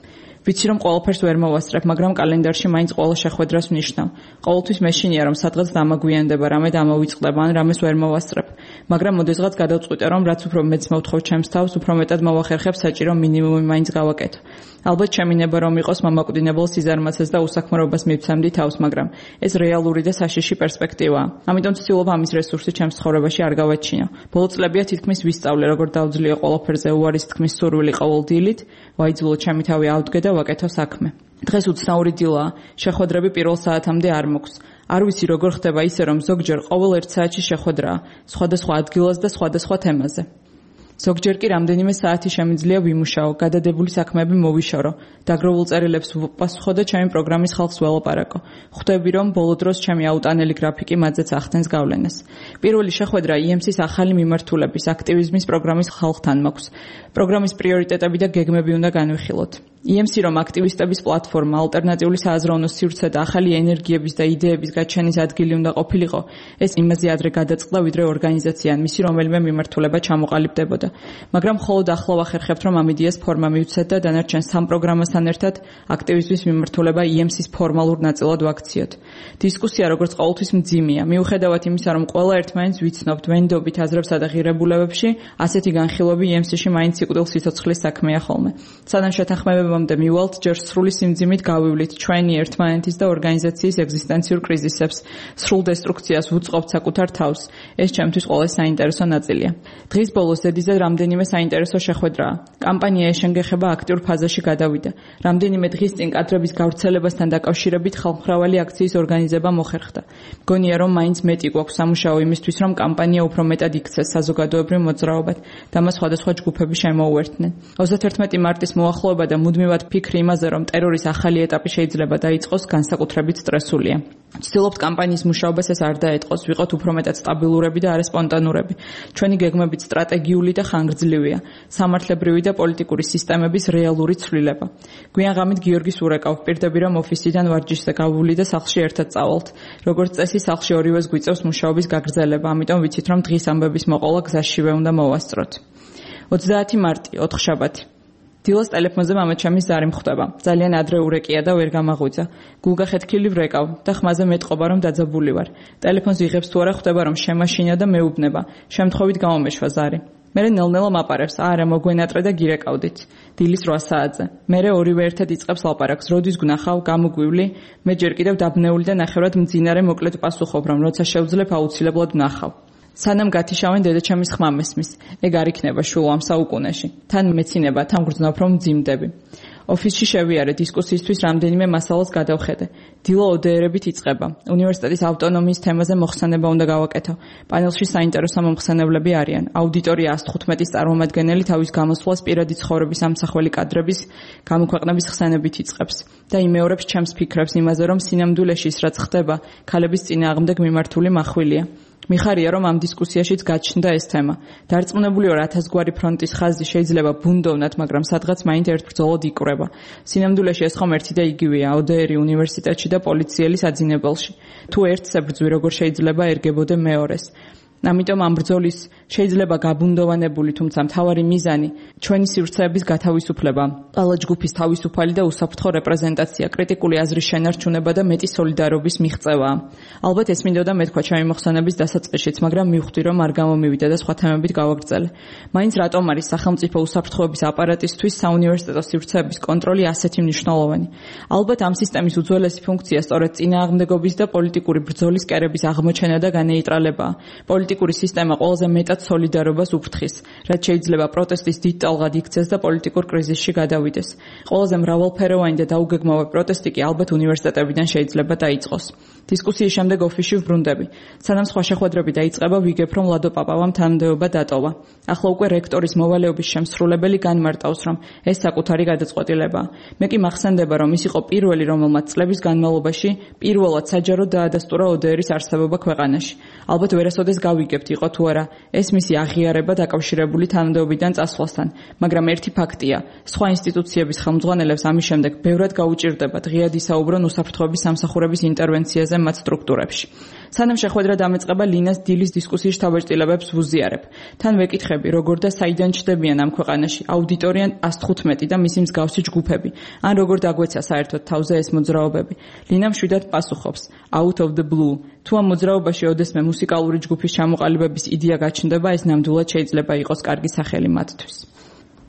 ვიცი რომ ყველაფერს ვერ მოვასწრებ, მაგრამ კალენდარში მაინც ყველა შეხვედრას ვნიშნავ. ყოველთვის მეშინია რომ სადღაც დამაგვიანდება, რამე დამოვიწყდება ან რამეს ვერ მოვასწრებ. მაგრამ მოდესღაც გადავწყვიტე, რომ რაც უფრო მეც მოვთხოვ ჩემს თავს, უფრო მეტად მოვახერხებ საჭირო მინიმუმი მაინც გავაკეთო. ალბათ შემინება რომ იყოს მამაკვდინებელ სიზარმაცეს და უსახმარობას მივცემდი თავს, მაგრამ ეს რეალური და საშიში პერსპექტივაა. ამიტომ ვცდილობ ამის რესურსი ჩემს ცხოვრებაში არ გავაჩინო. ბოლო წლებია თითქმის ვისწავლე, როგორ დავძლიე ყველაფერზე უარის თქმის სურვილი ყოველ დილით, ვაიძულო ჩემი თავი ავდგე და ვაკეთო საქმე. დღეს უცნაური დილაა, შეხვედრები პირველ საათამდე არ მოქვს. არ ვიცი როგორ ხდება ისე, რომ ზოგჯერ ყოველ 1 საათში შეხვედრაა, სხვადასხვა ადგილას და სხვადასხვა თემაზე. ზოგჯერ კი რამდენიმე საათი შემიძლია ვიმუშაო, გადადებული საქმეები მოვიშორო, დაგროვილ წერილებს ვუპასუხო და ჩემი პროგრამის ხალხს ველაპარაკო. ხვდები, რომ ბოლო დროს ჩემი აუტანელი გრაფიკი მათზეც ახდენს გავლენას. პირველი შეხვედრა EMC-ის ახალი მიმართულების, აქტივიზმის პროგრამის ხალხთან მაქვს. პროგრამის პრიორიტეტები და გეგმები უნდა განვიხილოთ. EMC რომ აქტივისტების პლატფორმა, ალტერნატიული სააზროვნო სივრცე და ახალი ენერგიების და იდეების გაჩენის ადგილი უნდა ყოფილიყო, ეს იმაზე ადრე გადაწყდა, ვიდრე ორგანიზაცია ან მისი რომელიმე მიმართულება ჩამოყალიბდებოდა. მაგრამ მხოლოდ ახლა ვახერხებთ, რომ ამ იდეას ფორმა მივცეთ და დანარჩენ სამ პროგრამასთან ერთად აქტივიზმის მიმართულება EMC-ის ფორმალურ ნაწილად ვაქციოთ. დისკუსია როგორც ყოველთვის მძიმეა. მიუხედავად იმისა, რომ ყველა ერთმანეთს ვიცნობთ, ვენდობით აზრებსა და ღირებულებებში, ასეთი განხილვები EMC-ში მაინც სიკვდილ სიცოცხლის საქმეა ხოლმე. სანამ შეთანხმებებამდე მივალთ, ჯერ სრული სიმძიმით გავივლით ჩვენი ერთმანეთის და ორგანიზაციის ეგზისტენციურ კრიზისებს, სრულ დესტრუქციას ვუწყობთ საკუთარ თავს. ეს ჩემთვის ყველაზე საინტერესო ნაწილია. დღის ბოლოს დედიზე რამდენიმე საინტერესო შეხვედრაა. კამპანია ეშენგეხება აქტიურ ფაზაში გადავიდა. რამდენიმე დღის წინ კადრების გავრცელებასთან დაკავშირებით ხალხმრავალი აქციის ორგანიზება მოხერხდა. მგონია, რომ მაინც მეტი გვაქვს სამუშაო იმისთვის, რომ კამპანია უფრო მეტად იქცეს საზოგადოებრივ მოძრაობად და მას სხვადასხვა ჯგუფები შემოუერთდნენ. 31 მარტის მოახლოება და მუდმივად ფიქრი იმაზე, რომ ტერორის ახალი ეტაპი შეიძლება დაიწყოს, განსაკუთრებით სტრესულია. ვცდილობთ კამპანიის მუშაობას ეს არ დაეთყოს, ვიყოთ უფრო მეტად სტაბილურები და არა სპონტანურები. ჩვენი გეგმებით სტრატეგიული და ხანგრძლივია, სამართლებრივი და პოლიტიკური სისტემების რეალური ცვლილება. გვიან ღამით გიორგი სურეკავ ვპირდები, რომ ოფისიდან ვარჯიშზე გავული და სახლში ერთად წავალთ. როგორც წესი, სახლში ორივეს გვიწევს მუშაობის გაგრძელება, ამიტომ ვიცით, რომ დღის ამბების მოყოლა გზაშივე უნდა მოვასწროთ. 30 მარტი, 4 შაბათი. დილას ტელეფონზე მამაჩემის ზარი მხვდება. ძალიან ადრე ურეკია და ვერ გამაღვიძა. გულგა ხეთქილი ვრეკავ და ხმაზე მეტყობა, რომ დაძაბული ვარ. ტელეფონს ვიღებს თუ არა, ხვდება, რომ შემაშინა და მეუბნება. შემთხვევით გამომეშვა ზარი. მერე ნელ-ნელა მაპარებს, არა მოგვენატრე და გირეკავდით. დილის 8 საათზე. მერე ორივე ერთად იწყებს ლაპარაკს. როდის გნახავ, გამოგვივლი? მე ჯერ კიდევ დაბნეული და ნახევრად მძინარე მოკლედ პასუხობ, რომ როცა შევძლებ აუცილებლად ვნახავ. სანამ გათიშავენ დედაჩემის ხმა მესმის. ეგ არ იქნება შულო ამ საუკუნეში. თან მეცინება, თან გრძნობ რომ მძიმდები. ოფისში შევიარე დისკუსიისთვის რამდენიმე მასალას გადავხედე. დილა ODR-ებით იწყება. უნივერსიტეტის ავტონომიის თემაზე მოხსენება უნდა გავაკეთო. პანელში საინტერესო მომხსენებლები არიან. აუდიტორია 115-ის წარმომადგენელი თავის გამოსვლას პირადი ცხოვრების ამსახველი კადრების გამოქვეყნების ხსენებით იწყებს და იმეორებს ჩემს ფიქრებს იმაზე, რომ სინამდვილეში ის რაც ხდება, ქალების წინააღმდეგ მიმართული מחვილია. მიხარია, რომ ამ დისკუსიაშიც გაჩნდა ეს თემა. დარწმუნებული ვარ 1000 გვარი ფრონტის ხაზი შეიძლება ბუნდოვნად, მაგრამ სადღაც მაინც ერთ ბრძოლად იკვრება. სინამდვილეში ეს ხომ ერთი და იგივეა, ODR უნივერსიტეტში და პოლიციელის აძინებელში. თუ ერთს ებრძვი, როგორ შეიძლება ერგებოდე მეორეს. ამიტომ ამ ბრძოლის შეიძლება გაბუნდოვანებული, თუმცა მთავარი მიზანი ჩვენი სივრცეების გათავისუფლება, ყველა ჯგუფის თავისუფალი და უსაფრთხო რეპრეზენტაცია, კრიტიკული აზრის შენარჩუნება და მეტი სოლიდარობის მიღწევაა. ალბათ ეს მინდოდა მეთქვა ჩემი მოხსენების დასაწყისშიც, მაგრამ მივხვდი, რომ არ გამომივიდა და სხვა თემებით გავაგრძელე. მაინც რატომ არის სახელმწიფო უსაფრთხოების აპარატისთვის საუნივერსიტეტო სივრცეების კონტროლი ასეთი მნიშვნელოვანი? ალბათ ამ სისტემის უძველესი ფუნქცია სწორედ წინააღმდეგობის და პოლიტიკური ბრძოლის კერების აღმოჩენა და განეიტრალებაა. პოლიტიკური სისტემა ყველაზე მეტად სოლიდარობას უფრთხის, რაც შეიძლება პროტესტის დიდ ტალღად იქცეს და პოლიტიკურ კრიზისში გადავიდეს. ყველაზე მრავალფეროვანი და დაუგეგმავი პროტესტი კი ალბათ უნივერსიტეტებიდან შეიძლება დაიწყოს. დისკუსიის შემდეგ ოფისში ვბრუნდები. სანამ სხვა შეხვედრები დაიწყება, ვიგებ, რომ ლადო პაპავამ თანამდებობა დატოვა. ახლა უკვე რექტორის მოვალეობის შემსრულებელი განმარტავს, რომ ეს საკუთარი გადაწყვეტილებაა. მე კი მახსენდება, რომ ის იყო პირველი, რომელმაც წლების განმავლობაში პირველად საჯაროდ დაადასტურა ODR-ის არსებობა ქვეყანაში. ალბათ ვერასოდეს გავიგებთ, იყო თუ არა ეს მისი აღიარება დაკავშირებული თანამდებობიდან წასვლასთან, მაგრამ ერთი ფაქტია, სხვა ინსტიტუციების ხელმძღვანელებს ამის შემდეგ ბევრად გაუჭირდებათ ღიად ისაუბრონ უსაფრთხოების სამსახურების ინტერვენციაზე მათ სტრუქტურებში. სანამ შეხვედრა დამეწყება, ლინას დილის დისკუსიის თავეჭდილებებს ვუზიარებ. თან ვეკითხები, როგორ და საიდან ჩდებიან ამ ქვეყანაში აუდიტორია 115 და მისი მსგავსი ჯგუფები, ან როგორ დაგვეცა საერთოდ თავზე ეს მოძრაობები. ლინა მშვიდად პასუხობს, out of the blue. თუ ამ მოძრაობაში ოდესმე მუსიკალური ჯგუფის ჩამოყალიბების იდეა გაჩნდება, ეს ნამდვილად შეიძლება იყოს კარგი სახელი მათთვის.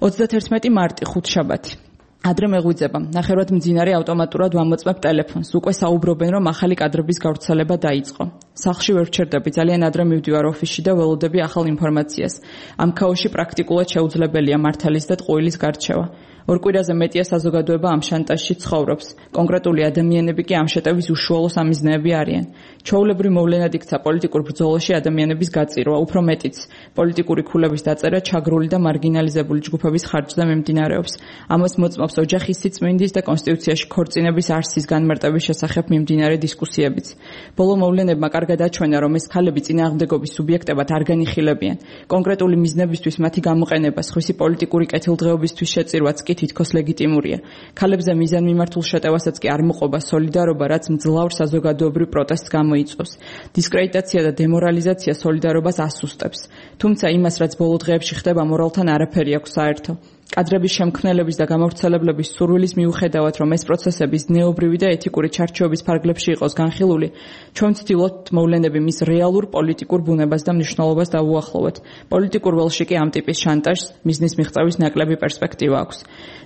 31 მარტი, ხუთშაბათი. ადრე მეღვიძება, ნახევრად მძინარე ავტომატურად ვამოწმებ ტელეფონს. უკვე საუბრობენ, რომ ახალი კადრების გავრცელება დაიწყო. სახლში ვერ ვჩერდები, ძალიან ადრე მივდივარ ოფისში და ველოდები ახალ ინფორმაციას. ამ ქაოსში პრაქტიკულად შეუძლებელია მართლის და ტყუილის გარჩევა. ორ კვირაზე მეტია საზოგადოება ამ შანტაჟში ცხოვრობს. კონკრეტული ადამიანები კი ამ შეტევის უშუალო სამიზნეები არიან. ჩვეულებრივ მოვლენად იქცა პოლიტიკურ ბრძოლაში ადამიანების გაწირვა, უფრო მეტიც, პოლიტიკური ქულების დაწერა ჩაგრული და მარგინალიზებული ჯგუფების ხარჯზე მიმდინარეობს. ამას მოწმობს ოჯახის სიწმინდის და კონსტიტუციაში ქორწინების არსის განმარტების შესახებ მიმდინარე დისკუსიებიც. ბოლო მოვლენებმა კარგად აჩვენა, რომ ეს ქალები წინააღმდეგობის სუბიექტებად არ განიხილებიან. კონკრეტული მიზნებისთვის მათი გამოყენება, სხვისი პოლიტიკური კეთილდღეობისთვის შეწირვაც კი თითქოს ლეგიტიმურია. ქალებზე მიზანმიმართულ შეტევასაც კი არ მოყვება სოლიდარობა, რაც მძლავრ საზოგადოებრივ პროტესტს გამოიწვევს. დისკრედიტაცია და დემორალიზაცია სოლიდარობას ასუსტებს. თუმცა იმას, რაც ბოლო დღეებში ხდება, მორალთან არაფერი აქვს საერთო. კადრების შემქმნელების და გამავრცელებლების სურვილის მიუხედავად, რომ ეს პროცესების ზნეობრივი და ეთიკური ჩარჩოების ფარგლებში იყოს განხილული, ჩვენ ვცდილობთ მოვლენები მის რეალურ პოლიტიკურ ბუნებას და მნიშვნელობას დავუახლოვოთ. პოლიტიკურ ველში კი ამ ტიპის შანტაჟს მიზნის მიღწევის ნაკლები პერსპექტივა აქვს.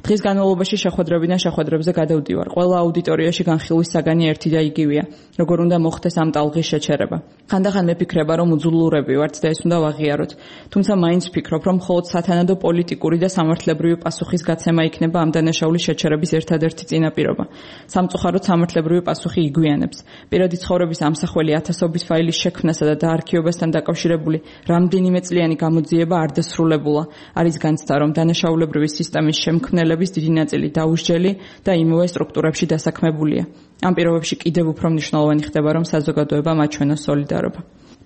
დღის განმავლობაში შეხვედრებიდან შეხვედრებზე გადავდივარ. ყველა აუდიტორიაში განხილვის საგანი ერთი და იგივეა. როგორ უნდა მოხდეს ამ ტალღის შეჩერება. ხანდახან მეფიქრება, რომ უძულურები ვართ და ეს უნდა ვაღიაროთ. თუმცა მაინც ვფიქრობ, რომ მხოლოდ სათანადო პოლიტიკური და სამართლებრივი პასუხის გაცემა იქნება ამ დანაშაულის შეჩერების ერთადერთი წინაპირობა. სამწუხაროდ სამართლებრივი პასუხი იგვიანებს. პირადი ცხოვრების ამსახველი ათასობით ფაილის შექმნასა და დაარქივებასთან დაკავშირებული რამდენიმე წლიანი გამოძიება არ დასრულებულა. არის განცდა, რომ დანაშაულებრივი სისტემის შემქმნელების დიდი ნაწილი დაუსჯელი და იმავე სტრუქტურებში დასაქმებულია. ამ პირობებში კიდევ უფრო მნიშვნელოვანი ხდება, რომ საზოგადოებამ აჩვენოს სოლიდარობა.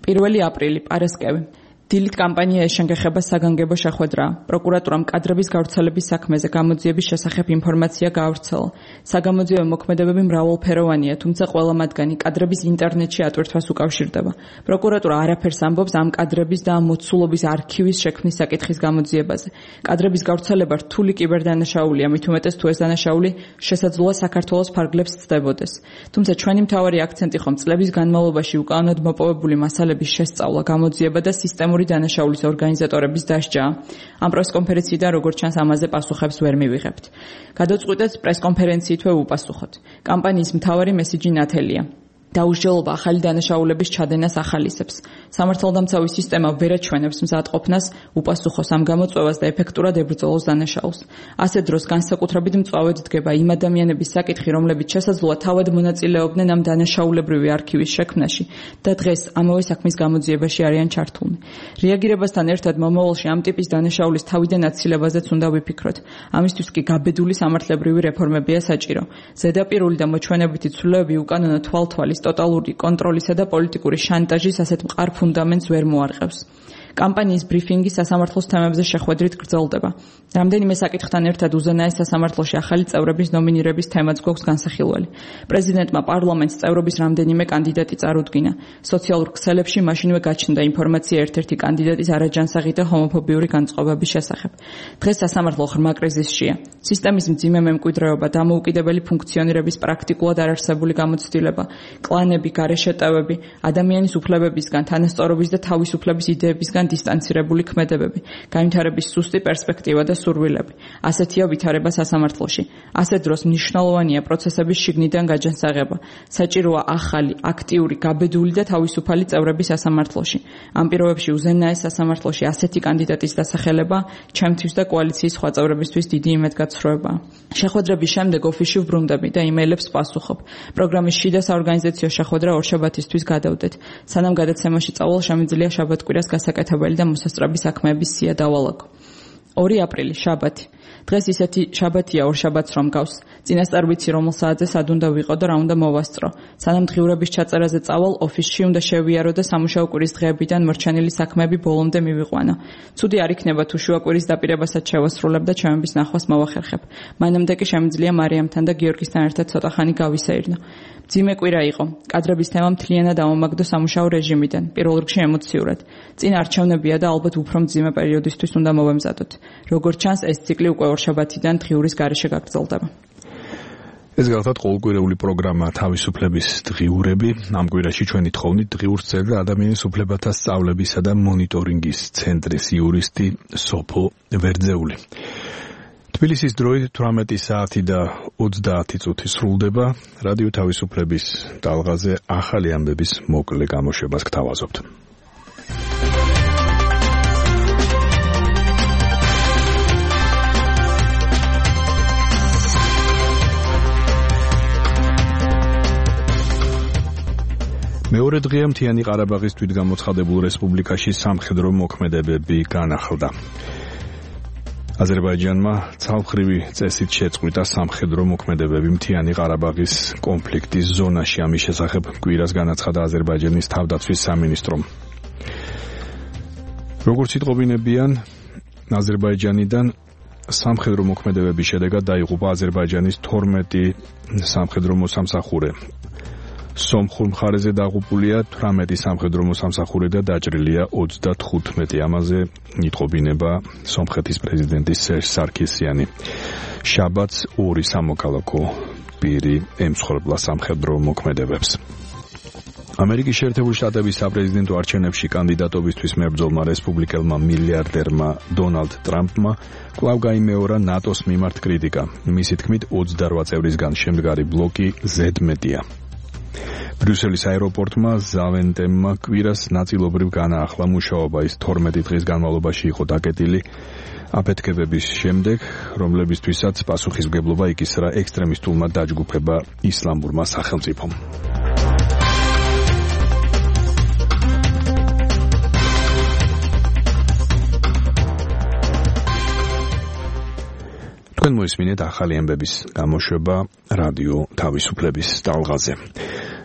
1 აპრილი, პარასკევი. დილით კამპანია ეშენგეხება საგანგებო შეხვედრაა. პროკურატურამ კადრების გავრცელების საქმეზე გამოძიების შესახებ ინფორმაცია გაავრცელა. საგამოძიებო მოქმედებები მრავალფეროვანია, თუმცა ყველა მათგანი კადრების ინტერნეტში ატვირთვას უკავშირდება. პროკურატურა არაფერს ამბობს ამ კადრების და ამ მოცულობის არქივის შექმნის საკითხის გამოძიებაზე. კადრების გავრცელება რთული კიბერდანაშაულია, მით უმეტეს თუ ეს დანაშაული შესაძლოა საქართველოს ფარგლებს ცდებოდეს. თუმცა ჩვენი მთავარი აქცენტი ხომ წლების განმავლობაში უკანონოდ მოპოვებული მასალების შესწავლა, გამოძიება და სისტემური დანაშაულის ორგანიზატორების დასჯაა. ამ პრესკონფერენციიდან როგორც ჩანს ამაზე პასუხებს ვერ მივიღებთ. გადავწყვიტეთ პრესკონფერენციით ვეუპასუხოთ. კამპანიის მთავარი მესიჯი ნათელია. დაუსჯელობა ახალი დანაშაულების ჩადენას ახალისებს. სამართალდამცავი სისტემა ვერ აჩვენებს მზადყოფნას, უპასუხოს ამ გამოწვევას და ეფექტურად ებრძოლოს დანაშაულს. ასე დროს განსაკუთრებით მწვავედ დგება იმ ადამიანების საკითხი, რომლებიც შესაძლოა თავად მონაწილეობდნენ ამ დანაშაულებრივი არქივის შექმნაში და დღეს ამავე საქმის გამოძიებაში არიან ჩართულნი. რეაგირებასთან ერთად მომავალში ამ ტიპის დანაშაულის თავიდან აცილებაზეც უნდა ვიფიქროთ. ამისთვის კი გაბედული სამართლებრივი რეფორმებია საჭირო. ზედაპირული და მოჩვენებითი ცვლილებები უკანონო თვალთვალის ტოტალური კონტროლისა და პოლიტიკური შანტაჟის ასეთ მყარ ფუნდამენტს ვერ მოარყევს. კამპანიის ბრიფინგი სასამართლოს თემებზე შეხვედრით გრძელდება. რამდენიმე საკითხთან ერთად უზენაეს სასამართლოში ახალი წევრების ნომინირების თემაც გვაქვს განსახილველი. პრეზიდენტმა პარლამენტს წევრობის რამდენიმე კანდიდატი წარუდგინა. სოციალურ ქსელებში მაშინვე გაჩნდა ინფორმაცია ერთ-ერთი კანდიდატის არაჯანსაღი და ჰომოფობიური განწყობების შესახებ. დღეს სასამართლო ღრმა კრიზისშია. სისტემის მძიმე მემკვიდრეობა, დამოუკიდებელი ფუნქციონირების პრაქტიკულად არარსებული გამოცდილება, კლანები, გარეშეტევები, ადამიანის უფლებებისგან, თანასწორობის და თავისუფლების იდეებისგან დისტანცირებული ქმედებები, განვითარების სუსტი პერსპექტივა და სურვილები. ასეთია ვითარება სასამართლოში. ასეთ დროს მნიშვნელოვანია პროცესების შიგნიდან გაჯანსაღება. საჭიროა ახალი, აქტიური, გაბედული და თავისუფალი წევრები სასამართლოში. ამ პირობებში უზენაეს სასამართლოში ასეთი კანდიდატის დასახელება ჩემთვის და კოალიციის სხვა წევრებისთვის დიდი იმედგაცრუებაა. შეხვედრების შემდეგ ოფისში ვბრუნდები და იმეილებს პასუხობ. პროგრამის შიდა საორგანიზაციო შეხვედრა ორშაბათისთვის გადავდეთ. სანამ გადაცემაში წავალ, შემიძლია შაბათ-კვირას გასაკეთებელი და მოსასწრაფი საქმეების სია დავალაგო. 2 აპრილი, შაბათი. დღეს ისეთი შაბათია ორშაბათს რომ გავს. წინასწარ ვიცი რომელ საათზე სად უნდა ვიყო და რა უნდა მოვასწრო. სანამ დღიურების ჩაწერაზე წავალ, ოფისში უნდა შევიარო და სამუშაო კვირის დღეებიდან მორჩენილი საქმეები ბოლომდე მივიყვანო. ცუდი არ იქნება თუ შუა კვირის დაპირებასაც შევასრულებ და ჩემების ნახვას მოვახერხებ. მანამდე კი შემიძლია მარიამთან და გიორგისთან ერთად ცოტა ხანი გავისეირნო. მძიმე კვირა იყო. კადრების თემა მთლიანად ამომაგდო სამუშაო რეჟიმიდან, პირველ რიგში ემოციურად. წინ არჩევნებია და ალბათ უფრო მძიმე პერიოდისთვის უნდა მოვემზადოთ. როგორც ჩანს, ეს ციკლი უკვე ორშაბათიდან დღიურის გარეშე გაგრძელდება. ეს გახლავთ ყოველკვირეული პროგრამა თავისუფლების დღიურები. ამ კვირაში ჩვენი თხოვნით დღიურს წერდა ადამიანის უფლებათა სწავლებისა და მონიტორინგის ცენტრის იურისტი სოფო ვერძეული. თბილისის დროით 18 საათი და 30 წუთი სრულდება. რადიო თავისუფლების ტალღაზე ახალი ამბების მოკლე გამოშვებას გთავაზობთ. მეორე დღეა მთიანი ყარაბაღის თვითგამოცხადებულ რესპუბლიკაში სამხედრო მოქმედებები განახლდა. აზერბაიჯანმა ცალმხრივი წესით შეწყვიტა სამხედრო მოქმედებები მთიანი ყარაბაღის კონფლიქტის ზონაში. ამის შესახებ კვირას განაცხადა აზერბაიჯანის თავდაცვის სამინისტრომ. როგორც იტყობინებიან, აზერბაიჯანიდან სამხედრო მოქმედებების შედეგად დაიღუპა აზერბაიჯანის 12 სამხედრო მოსამსახურე. სომხურ მხარეზე დაღუპულია 18 სამხედრო მოსამსახურე და დაჭრილია 35. ამაზე იტყობინება სომხეთის პრეზიდენტი სერჟ სარქისიანი. შაბათს 2 სამოქალაქო პირი ემსხვერპლა სამხედრო მოქმედებებს. ამერიკის შეერთებული შტატების საპრეზიდენტო არჩევნებში კანდიდატობისთვის მებრძოლმა რესპუბლიკელმა მილიარდერმა დონალდ ტრამპმა კვლავ გაიმეორა ნატოს მიმართ კრიტიკა. მისი თქმით 28 წევრისგან შემდგარი ბლოკი ზედმეტია. ბრიუსელის აეროპორტმა ზავენტემმა კვირას ნაწილობრივ განაახლა მუშაობა. ის 12 დღის განმავლობაში იყო დაკეტილი აფეთქებების შემდეგ, რომლებისთვისაც პასუხისმგებლობა იკისრა ექსტრემისტულმა დაჯგუფება ისლამურმა სახელმწიფომ. თქვენ მოისმინეთ ახალი ამბების გამოშვება რადიო თავისუფლების ტალღაზე.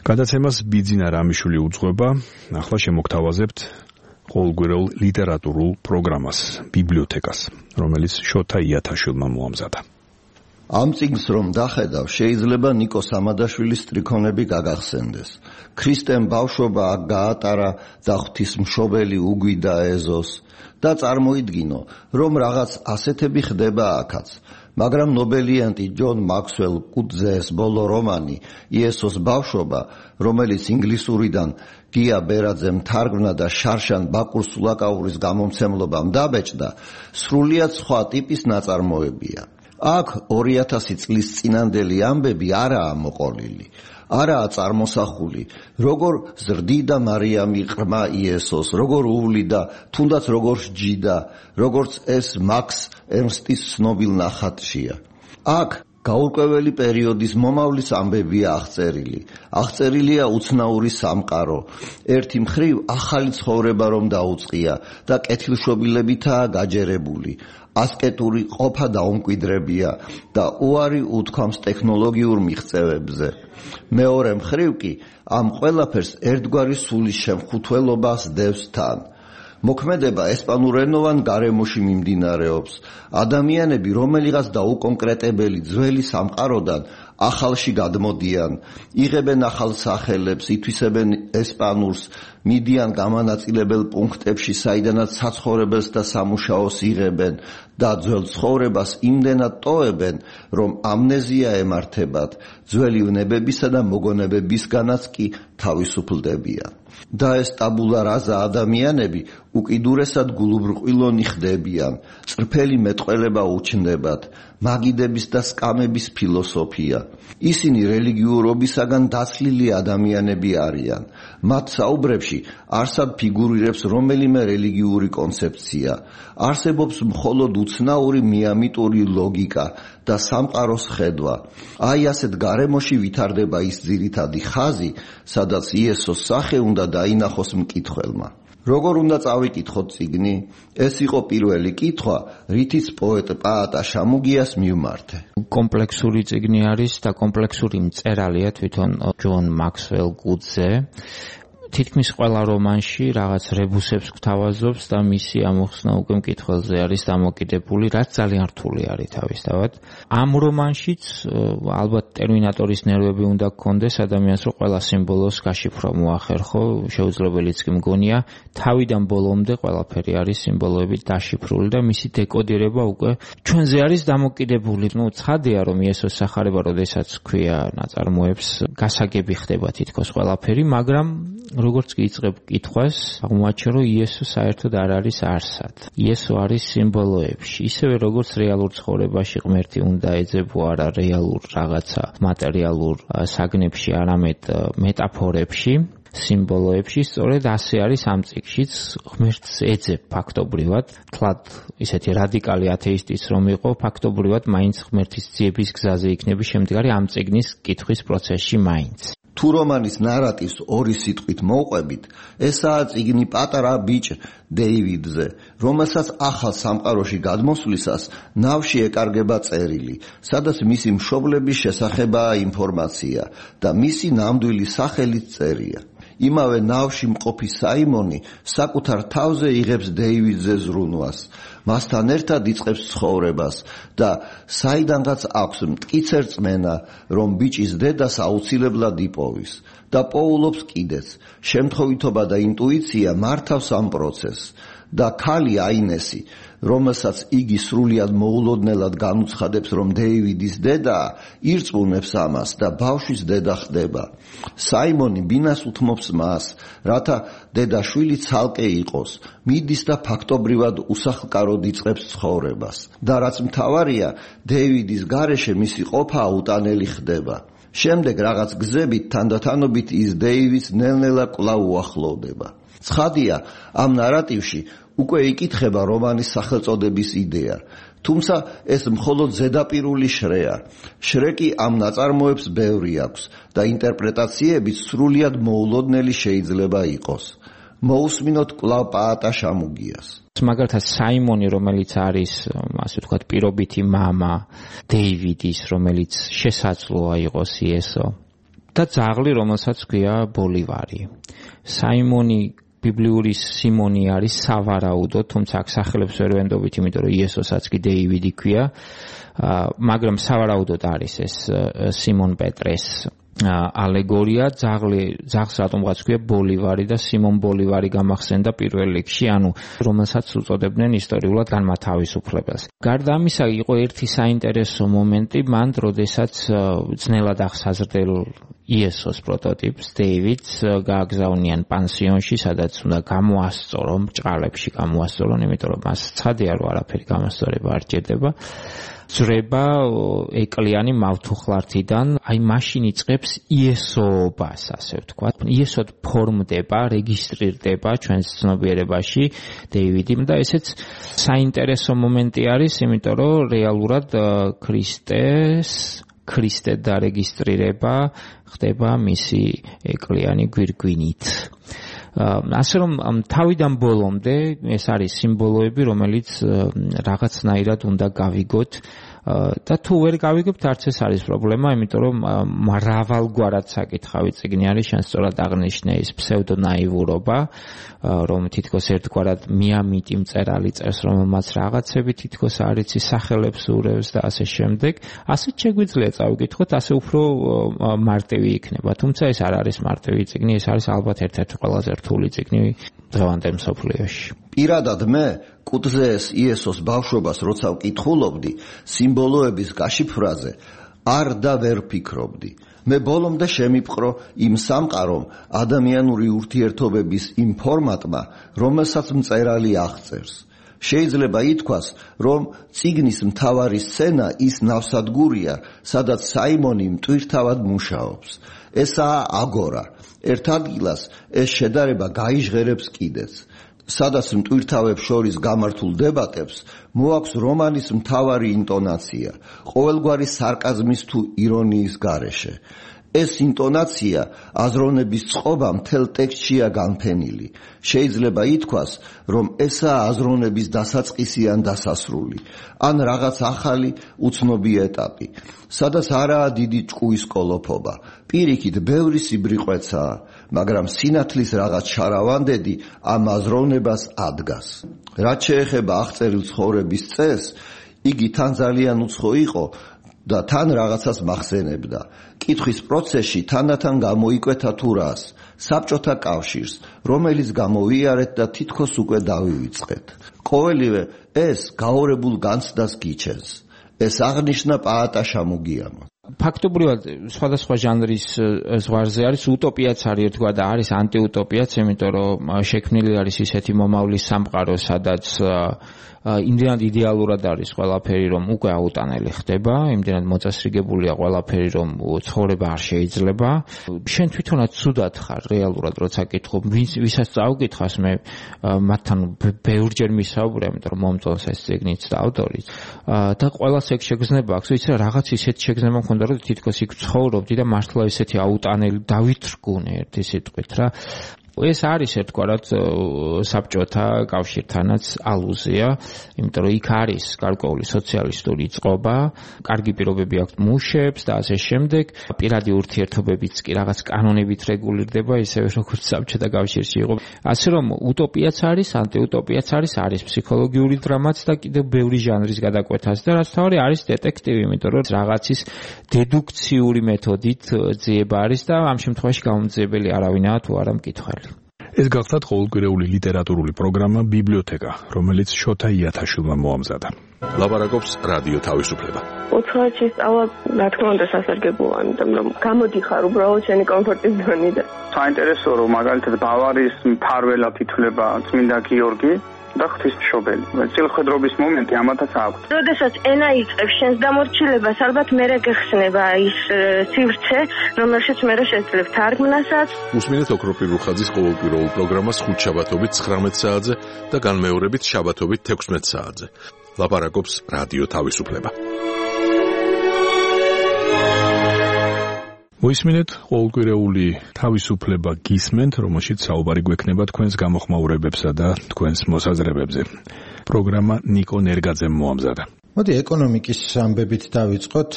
გადაცემას ბიძინა რამიშვილი უძღვება. ახლა შემოგთავაზებთ ყოველკვირეულ ლიტერატურულ პროგრამას ბიბლიოთეკას, რომელიც შოთა იათაშვილმა მოამზადა. ამ წიგნს რომ დახედავ, შეიძლება ნიკო სამადაშვილის სტრიქონები გაგახსენდეს. ქრისტემ ბავშვობა აქ გაატარა და ღვთისმშობელი უგვიდა ეზოს და წარმოიდგინო, რომ რაღაც ასეთები ხდება აქაც. მაგრამ ნობელიანტი ჯონ მაქსველ კუტზეს ბოლო რომანი იესოს ბავშვობა, რომელიც ინგლისურიდან გია ბერაძემ თარგმნა და შარშან ბაკურ სულაკაურის გამომცემლობამ დაბეჭდა, სრულიად სხვა ტიპის ნაწარმოებია. აქ 2000 წლის წინანდელი ამბები არაა მოყოლილი, არაა წარმოსახული, როგორ ზრდიდა მარიამი ყრმა იესოს, როგორ უვლიდა, თუნდაც როგორ სჯიდა, როგორც ეს მაქს ერნსტის ცნობილ ნახატშია. აქ გაურკვეველი პერიოდის მომავლის ამბებია აღწერილი. აღწერილია უცნაური სამყარო. ერთი მხრივ ახალი ცხოვრება რომ დაუწყია და კეთილშობილებითაა გაჯერებული. ასკეტური ყოფა დაუმკვიდრებია და უარი უთქვამს ტექნოლოგიურ მიღწევებზე. მეორე მხრივ კი ამ ყველაფერს ერთგვარი სულის შემხუთველობას დევს თან. მოქმედება ესპანურენოვან გარემოში მიმდინარეობს. ადამიანები რომელიღაც დაუკონკრეტებელი ძველი სამყაროდან ახალში გადმოდიან, იღებენ ახალ სახელებს, ითვისებენ ესპანურს, მიდიან გამანაწილებელ პუნქტებში, საიდანაც საცხოვრებელს და სამუშაოს იღებენ და ძველ ცხოვრებას იმდენად ტოვებენ, რომ ამნეზია ემართებათ, ძველი ვნებებისა და მოგონებებისგანაც კი თავისუფლდებიან. და ეს ტაბულა რაზა ადამიანები უკიდურესად გულუბრყვილონი ხდებიან, წრფელი მეტყველება უჩნდებათ, მაგიდების და სკამების ფილოსოფია. ისინი რელიგიურობისაგან დაცლილი ადამიანები არიან. მათ საუბრებში არსად ფიგურირებს რომელიმე რელიგიური კონცეფცია. არსებობს მხოლოდ უცნაური მიამიტური ლოგიკა და სამყაროს ხედვა. აი ასეთ გარემოში ვითარდება ის ძირითადი ხაზი, სადაც იესოს სახე უნდა დაინახოს მკითხველმა. როგორ უნდა წავიკითხოთ წიგნი? ეს იყო პირველი კითხვა, რითიც პოეტ პაატა შამუგიას მივმართე. კომპლექსური წიგნი არის და კომპლექსური მწერალია თვითონ ჯონ მაქსველ კუტზე. თითქმის ყველა რომანში რაღაც რებუსებს გვთავაზობს და მისი ამოხსნა უკვე მკითხველზე არის დამოკიდებული, რაც ძალიან რთული არის თავისთავად. ამ რომანშიც ალბათ ტერმინატორის ნერვები უნდა გქონდეს ადამიანს, რომ ყველა სიმბოლოს გაშიფრო მოახერხო, შეუძლებელიც კი მგონია, თავიდან ბოლომდე ყველაფერი არის სიმბოლოებით დაშიფრული და მისი დეკოდირება უკვე ჩვენზე არის დამოკიდებული. ცხადია, რომ იესოს სახარება, როდესაც ქვია ნაწარმოებს, გასაგები ხდება თითქოს ყველაფერი, მაგრამ როგორც კი იწყებ კითხვას, აღმოაჩენ, რომ იესო საერთოდ არ არის არსად. იესო არის სიმბოლოებში, ისევე როგორც რეალურ ცხოვრებაში ღმერთი უნდა ეძებო არა რეალურ რაღაცა მატერიალურ საგნებში, არამედ მეტაფორებში, სიმბოლოებში, სწორედ ასე არის ამ წიგნშიც, ღმერთს ეძებ ფაქტობრივად, თლად ისეთი რადიკალი ათეისტიც რომ იყო, ფაქტობრივად მაინც ღმერთის ძიების გზაზე იქნები შემდგარი ამ წიგნის კითხვის პროცესში მაინც. თუ რომანის ნარატივს ორი სიტყვით მოვყვებით, ესაა წიგნი პატარა ბიჭ დეივიდზე, რომელსაც ახალ სამყაროში გადმოსვლისას ნავში ეკარგება წერილი, სადაც მისი მშობლების შესახებაა ინფორმაცია და მისი ნამდვილი სახელიც წერია. იმავე ნავში მყოფი საიმონი საკუთარ თავზე იღებს დეივიდზე ზრუნვას, მასთან ერთად იწყებს ცხოვრებას და საიდანღაც აქვს მტკიცე რწმენა, რომ ბიჭის დედას აუცილებლად იპოვის და პოულობს კიდეც. შემთხვევითობა და ინტუიცია მართავს ამ პროცესს და ქალი აინესი, რომელსაც იგი სრულიად მოულოდნელად განუცხადებს, რომ დეივიდის დედაა, ირწმუნებს ამას და ბავშვის დედა ხდება. საიმონი ბინას უთმობს მას, რათა დედაშვილი ცალკე იყოს, მიდის და ფაქტობრივად უსახლკაროდ იწყებს ცხოვრებას. და რაც მთავარია, დეივიდის გარეშე მისი ყოფა აუტანელი ხდება. შემდეგ რაღაც გზებით თანდათანობით ის დეივიდს ნელ-ნელა კვლავ უახლოვდება. ცხადია, ამ ნარატივში უკვე იკითხება რომანის სახელწოდების იდეა, თუმცა ეს მხოლოდ ზედაპირული შრეა. შრეკი ამ ნაწარმოებს ბევრი აქვს და ინტერპრეტაციებიც სრულიად მოულოდნელი შეიძლება იყოს. მოусმინოთ კვლავ პაატა შამუგიას. მაგალითად საიმონი, რომელიც არის, ასე ვთქვათ, პირობითი მამა დეივიდის, რომელიც შესაძლოა იყოს იესო და ძაღლი, რომელსაც ქვია ბოლივარი. საიმონი ბიბლიური სიმონი არის სავარაუდო, თუმცა აქ სახელებს ვერ ვენდობით, იმიტომ რომ იესოსაც კი დეივიდი ქვია, მაგრამ სავარაუდოდ არის ეს სიმონ პეტრეს ალეგორია. ძაღლს რატომღაც ქვია ბოლივარი და სიმონ ბოლივარი გამახსენდა პირველ რიგში, ანუ რომელსაც უწოდებდნენ ისტორიულად განმათავისუფლებელს. გარდა ამისა, იყო ერთი საინტერესო მომენტი მან, როდესაც ძნელად აღსაზრდელ იესოს პროტოტიპს დეივიდს გააგზავნიან პანსიონში, სადაც უნდა გამოასწორონ, ბრჭყალებში გამოასწორონ, იმიტომ რომ მას ცხადია, რომ არაფერი გამასწორება არ ჭირდება. ძრება ეკლიანი მავთუხლართიდან, აი მაშინ იწყებს იესოობას, ასე ვთქვათ. იესოდ ფორმდება, რეგისტრირდება ჩვენს ცნობიერებაში დეივიდი და ესეც საინტერესო მომენტი არის, იმიტომ რომ რეალურად ქრისტე დარეგისტრირება ხდება მისი ეკლიანი გვირგვინით. ასე რომ თავიდან ბოლომდე ეს არის სიმბოლოები, რომელიც რაღაცნაირად უნდა გავიგოთ და თუ ვერ გავიგებთ, არც ეს არის პრობლემა, იმიტომ რომ მრავალგვარად საკითხავი წიგნი არის, შენ სწორად აღნიშნე ის ფსევდონაივურობა, რომ თითქოს ერთგვარად მიამიტი მწერალი წერს, რომელმაც რაღაცები თითქოს არ იცი, სახელებს ურევს და ასე შემდეგ. ასეც შეგვიძლია წავიკითხოთ, ასე უფრო მარტივი იქნება. თუმცა ეს არ არის მარტივი წიგნი, ეს არის ალბათ ერთ-ერთი ყველაზე რთული წიგნი დღევანდელ მსოფლიოში. პირადად მე კუთხზე ეს იესოს ბავშვობას როცა ვკითხულობდი, სიმბოლოების გაშიფრაზე არ და ვერ ფიქრობდი. მე ბოლომდე შემიპყრო იმ სამყარომ ადამიანური ურთიერთობების იმ ფორმატმა, რომელსაც მწერალი აღწერს. შეიძლება ითქვას, რომ წიგნის მთავარი სცენა ის ნავსადგურია, სადაც საიმონი მტვირთავად მუშაობს. ესაა აგორა. ერთ ადგილას ეს შედარება გაიჟღერებს კიდეც. სადაც მტვირთავებს შორის გამართულ დებატებს მოაქვს რომანის მთავარი ინტონაცია, ყოველგვარი სარკაზმის თუ ირონიის გარეშე. ეს ინტონაცია აზროვნების წყობა მთელ ტექსტშია განფენილი. შეიძლება ითქვას, რომ ესაა აზროვნების დასაწყისი ან დასასრული, ან რაღაც ახალი უცნობი ეტაპი, სადაც არაა დიდი ჭკუის კოლოფობა. პირიქით, ბევრი სიბრიყვეცაა, მაგრამ სინათლის რაღაც შარავანდედი ამ აზროვნებას ადგას. რაც შეეხება აღწერილ ცხოვრების წესს, იგი თან ძალიან უცხო იყო და თან რაღაცას მახსენებდა. კითხვის პროცესში თანდათან გამოიკვეთა თუ რას, საბჭოთა კავშირს, რომელიც გამოვიარეთ და თითქოს უკვე დავივიწყეთ. ყოველივე ეს გაორებულ განცდას გიჩენს. ეს აღნიშნა პაატა შამუგიამო. ფაქტობრივად სხვადასხვა ჟანრის ზღვარზე არის utopia-ც არის ერთგვარ და არის anti-utopia-ც, იმიტომ რომ შექმნილი არის ისეთი მომავლის სამყარო, სადაც იმდენად იდეალურად არის ყველაფერი, რომ უკვე აუტანელი ხდება, იმდენად მოწესრიგებულია ყველაფერი, რომ ცხოვრება არ შეიძლება. შენ თვითონაც ცუდად ხარ რეალურად, როცა კითხობ, ვისაც წავკითხავს, მე მათთან ბევრჯერ მისაუბრე, იმიტომ რომ მომწონს ეს წიგნიც და ავტორიც. და ყველას ეგ შეგრძნება აქვს, ვიცი რა, რაღაც ისეთი შეგრძნება მქონდა, რომ თითქოს იქ ცხოვრობდი და მართლა ესეთი აუტანელი დავითრგუნე ერთი სიტყვით რა. ეს არის ერთგვარად საბჭოთა კავშირთანაც ალუზია, იმიტომ რომ იქ არის გარკვეული სოციალისტური წყობა, კარგი პირობები აქვს მუშებს და ასე შემდეგ, პირადი ურთიერთობებიც კი რაღაც კანონებით რეგულირდება, ისევე როგორც საბჭოთა კავშირში იყო. ასე რომ utopia-ც არის, anti-utopia-ც არის ფსიქოლოგიური დრამაც და კიდევ ბევრი ჟანრის გადაკვეთაც და რაც თავი არის დეტექტივი, იმიტომ რომ რაღაცის დედუქციური მეთოდით ძიება არის და ამ შემთხვევაში გამომძიებელი არავინაა თუ არა მკითხველი. ეს გახლავთ ყოველკვირეული ლიტერატურული პროგრამა ბიბლიოთეკა, რომელიც შოთა იათაშვილმა მოამზადა. ლაპარაკობს რადიო თავისუფლება. უცხოეთში სწავლა, რა თქმა უნდა, სასარგებლოა, იმიტომ რომ გამოდიხარ უბრალოდ შენი კომფორტის ზონიდან. საინტერესოა, რომ მაგალითად ბავარიის მფარველად ითვლება წმინდა გიორგი და ღვთისმშობელი. წილხვედრობის მომენტი ამათაც აქვს. როდესაც ენა იწყებს შენს დამორჩილებას, ალბათ მერე გეხსნება ის სივრცე, რომელშიც მერე შეძლებ თარგმნასაც. უსმინეთ ოქროპირ რუხაძის ყოველკვირეულ პროგრამას ხუთშაბათობით 19 საათზე და განმეორებით შაბათობით 16 საათზე. ლაპარაკობს რადიო თავისუფლება. მოისმინეთ ყოველკვირეული თავისუფლება გისმენთ, რომელშიც საუბარი გვექნება თქვენს გამოხმაურებებსა და თქვენს მოსაზრებებზე. პროგრამა ნიკო ნერგაძემ მოამზადა. მოდი ეკონომიკის ამბებით დავიწყოთ.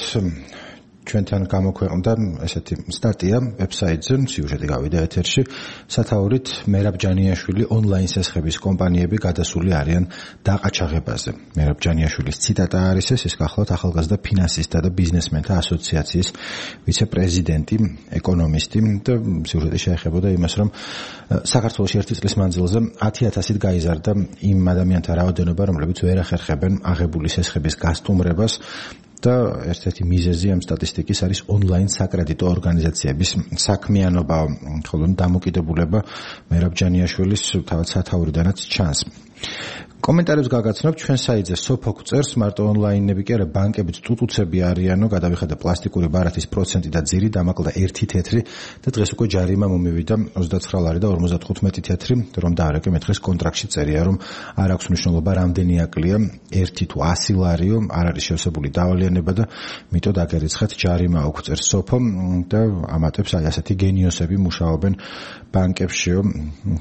ჩვენთან გამოქვეყნდა ესეთი სტატია ვებსაიტზე, სიუჟეტი გავიდა ეთერში, სათაურით მერაბ ჯანიაშვილი ონლაინ სესხების კომპანიები გადასული არიან დაყაჩაღებაზე. მერაბ ჯანიაშვილის ციტატა არის ეს გახლავთ ახალგაზრდა ფინანსისტთა და ბიზნესმენთა ასოციაციის ვიცე-პრეზიდენტი, ეკონომისტი და სიუჟეტი შეეხებოდა იმას, რომ საქართველოში ერთი წლის მანძილზე 10,000-ით გაიზარდა იმ ადამიანთა რაოდენობა, რომლებიც ვერ ახერხებენ აღებული სესხების გასტუმრებას. და ერთ-ერთი მიზეზი ამ სტატისტიკის არის ონლაინ საკრედიტო ორგანიზაციების საქმიანობა, ხოლო დამოკიდებულება მერაბ ჯანიაშვილის თავად სათაურიდანაც ჩანს. კომენტარებს გაგაცნობ ჩვენ საიტზე სოფოქ წერს, მარტო ონლაინები კი არა, ბანკებიც ტუტუცები არიანო, გადავიხადა პლასტიკური ბარათის პროცენტი და ძირი, დამაკლა 1 თეთრი და დღეს უკვე ჯარიმა მომივიდა 29 ლარი და 55 თეთრი, რომ დაარეკე მე დღეს კონტრაქტში წერია, რომ არ აქვს მნიშვნელობა რამდენი აკლია, 1 თუ 100 ლარიო, არ არის შევსებული დავალიანება და მიტო დაგერიცხეთ ჯარიმა აქვს წერს სოფო და ამატებს აი ასეთი გენიოსები მუშაობენ ბანკებშიო,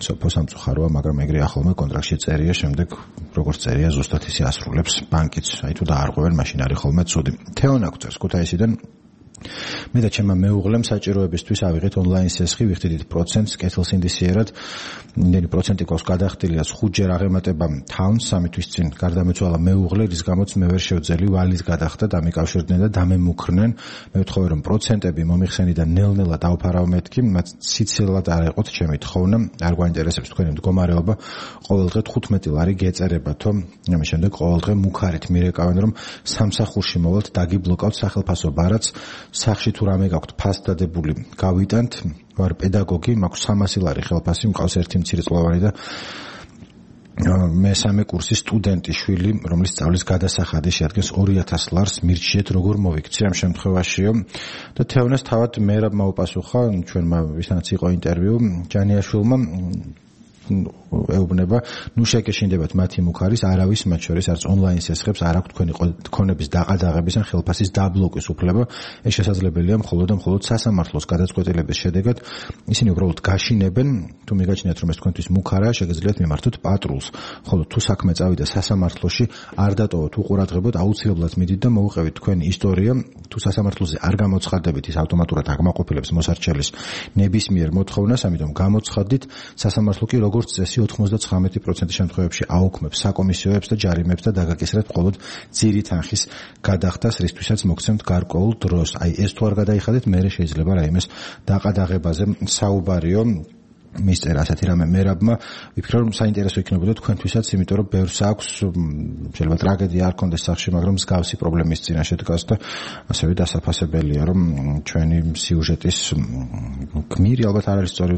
სოფო სამწუხაროა, მაგრამ ეგრე ახალმა კონტრაქტში წერია, შემდეგ როგორც წერია ზუსტად ისე ასრულებს ბანკიც, აი თუ დაარღვევენ, მაშინ არის ხოლმე ცუდი. თეონა გვწერს ქუთაისიდან მე და ჩემმა მეუღლემ საჭიროებისთვის ავიღეთ ონლაინ სესხი, ვიხდით პროცენტს კეთილსინდისიერად, იმდენი პროცენტი ყავს გადახდილია 5-ჯერ აღემატება თავს 3 თვის წინ გარდამეცვალა მეუღლე, რის გამოც მე ვერ შევძელი ვალის გადახდა, დამიკავშირდნენ და დამემუქრნენ. მე ვთხოვე რომ პროცენტები მომიხსენიდან ნელ-ნელა დავფარავ მეთქი, მათ სიცილად არ ეყოთ ჩემი თხოვნა, არ გვაინტერესებს თქვენი მდგომარეობა, ყოველდღე 15 ლარი გეწერებათო, ამის შემდეგ ყოველდღე მუქარით მირეკავენ რომ სამსახურში მოვალთ, დაგიბლოკავთ სახელფასო ბარათს, სახში თუ რამე გაქვთ ფასდადებული გავიტანთ, ვარ პედაგოგი, მაქვს 300 ლარი ხელფასი, მყავს ერთი მცირეწლოვანი და მესამე კურსის სტუდენტი შვილი, რომლის სწავლის გადასახადი შეადგენს 2000 ლარს, მირჩიეთ როგორ მოვიქცე ამ შემთხვევაშიო და თეონას თავად მერაბ მოუპასუხა ჩვენმა ვისთანაც იყო ინტერვიუ ჯანიაშვილმა ეუბნება, ნუ შეგეშინდებათ მათი მუქარის, არავის მათ შორის არც ონლაინ სესხებს არ აქვს თქვენი ქონების დაყადაღების ან ხელფასის დაბლოკვის უფლება. ეს შესაძლებელია მხოლოდ და მხოლოდ სასამართლოს გადაწყვეტილების შედეგად. ისინი უბრალოდ გაშინებენ, თუ მიგაჩნიათ რომ ეს თქვენთვის მუქარაა, შეგიძლიათ მიმართოთ პატრულს. ხოლო თუ საქმე წავიდა სასამართლოში, არ დატოვოთ უყურადღებოდ, აუცილებლად მიდით და მოუყევით თქვენი ისტორია. თუ სასამართლოზე არ გამოცხადდებით, ის ავტომატურად აკმაყოფილებს მოსარჩელის ნებისმიერ მოთხოვნას, ამიტომ გამოცხადდით, სასამართლო კი როგორც წესი 99% შემთხვევებში აუქმებს საკომისიოებს და ჯარიმებს და დაგაკისრეთ მხოლოდ ძირი თანხის გადახდას, რისთვისაც მოგცემთ გარკვეულ დროს. აი ეს თუ არ გადაიხადეთ, მერე შეიძლება რაიმეს დაყადაღებაზე საუბარიო. მისწერა ასეთი რამე მერაბმა, ვიფიქრე რომ საინტერესო იქნებოდა თქვენთვისაც, იმიტომ რომ ბევრს აქვს შეიძლება ტრაგედია არ კონდეს სახში, მაგრამ მსგავსი პრობლემის წინაშე დგას და ასევე დასაფასებელია, რომ ჩვენი სიუჟეტის გმირი ალბათ არ არის სწორი,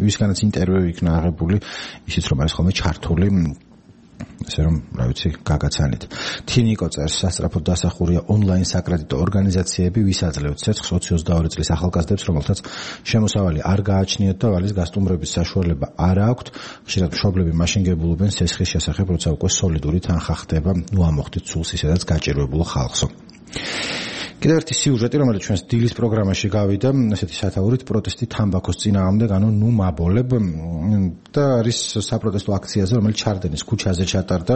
ვისგანაც ინტერვიუ იქნა აღებული, ისიც რომ არის ხოლმე ჩართული ესე რომ, რა ვიცი, გაგაცანით. თინიკო წერს, სასწრაფოდ დასახურია ონლაინ საკრედიტო ორგანიზაციები, ვის აძლევთ ცეცხლს 22 წლის ახალგაზრდებს, რომელთაც შემოსავალი არ გააჩნიათ და ვალის გასტუმრების საშუალება არ აქვთ. ხშირად მშობლები მაშინ გებულობენ სესხის შესახებ, როცა უკვე სოლიდური თანხა ხდება, ნუ ამოხდით სულს ისედაც გაჭირვებულ ხალხსო. კიდევ ერთი სიუჟეტი, რომელიც ჩვენს დილის პროგრამაში გავიდა, ესეთი სათაურით პროტესტი თამბაქოს წინააღმდეგ, ანუ ნუ მაბოლებ და არის საპროტესტო აქციაზე, რომელიც ჩარდენის ქუჩაზე ჩატარდა.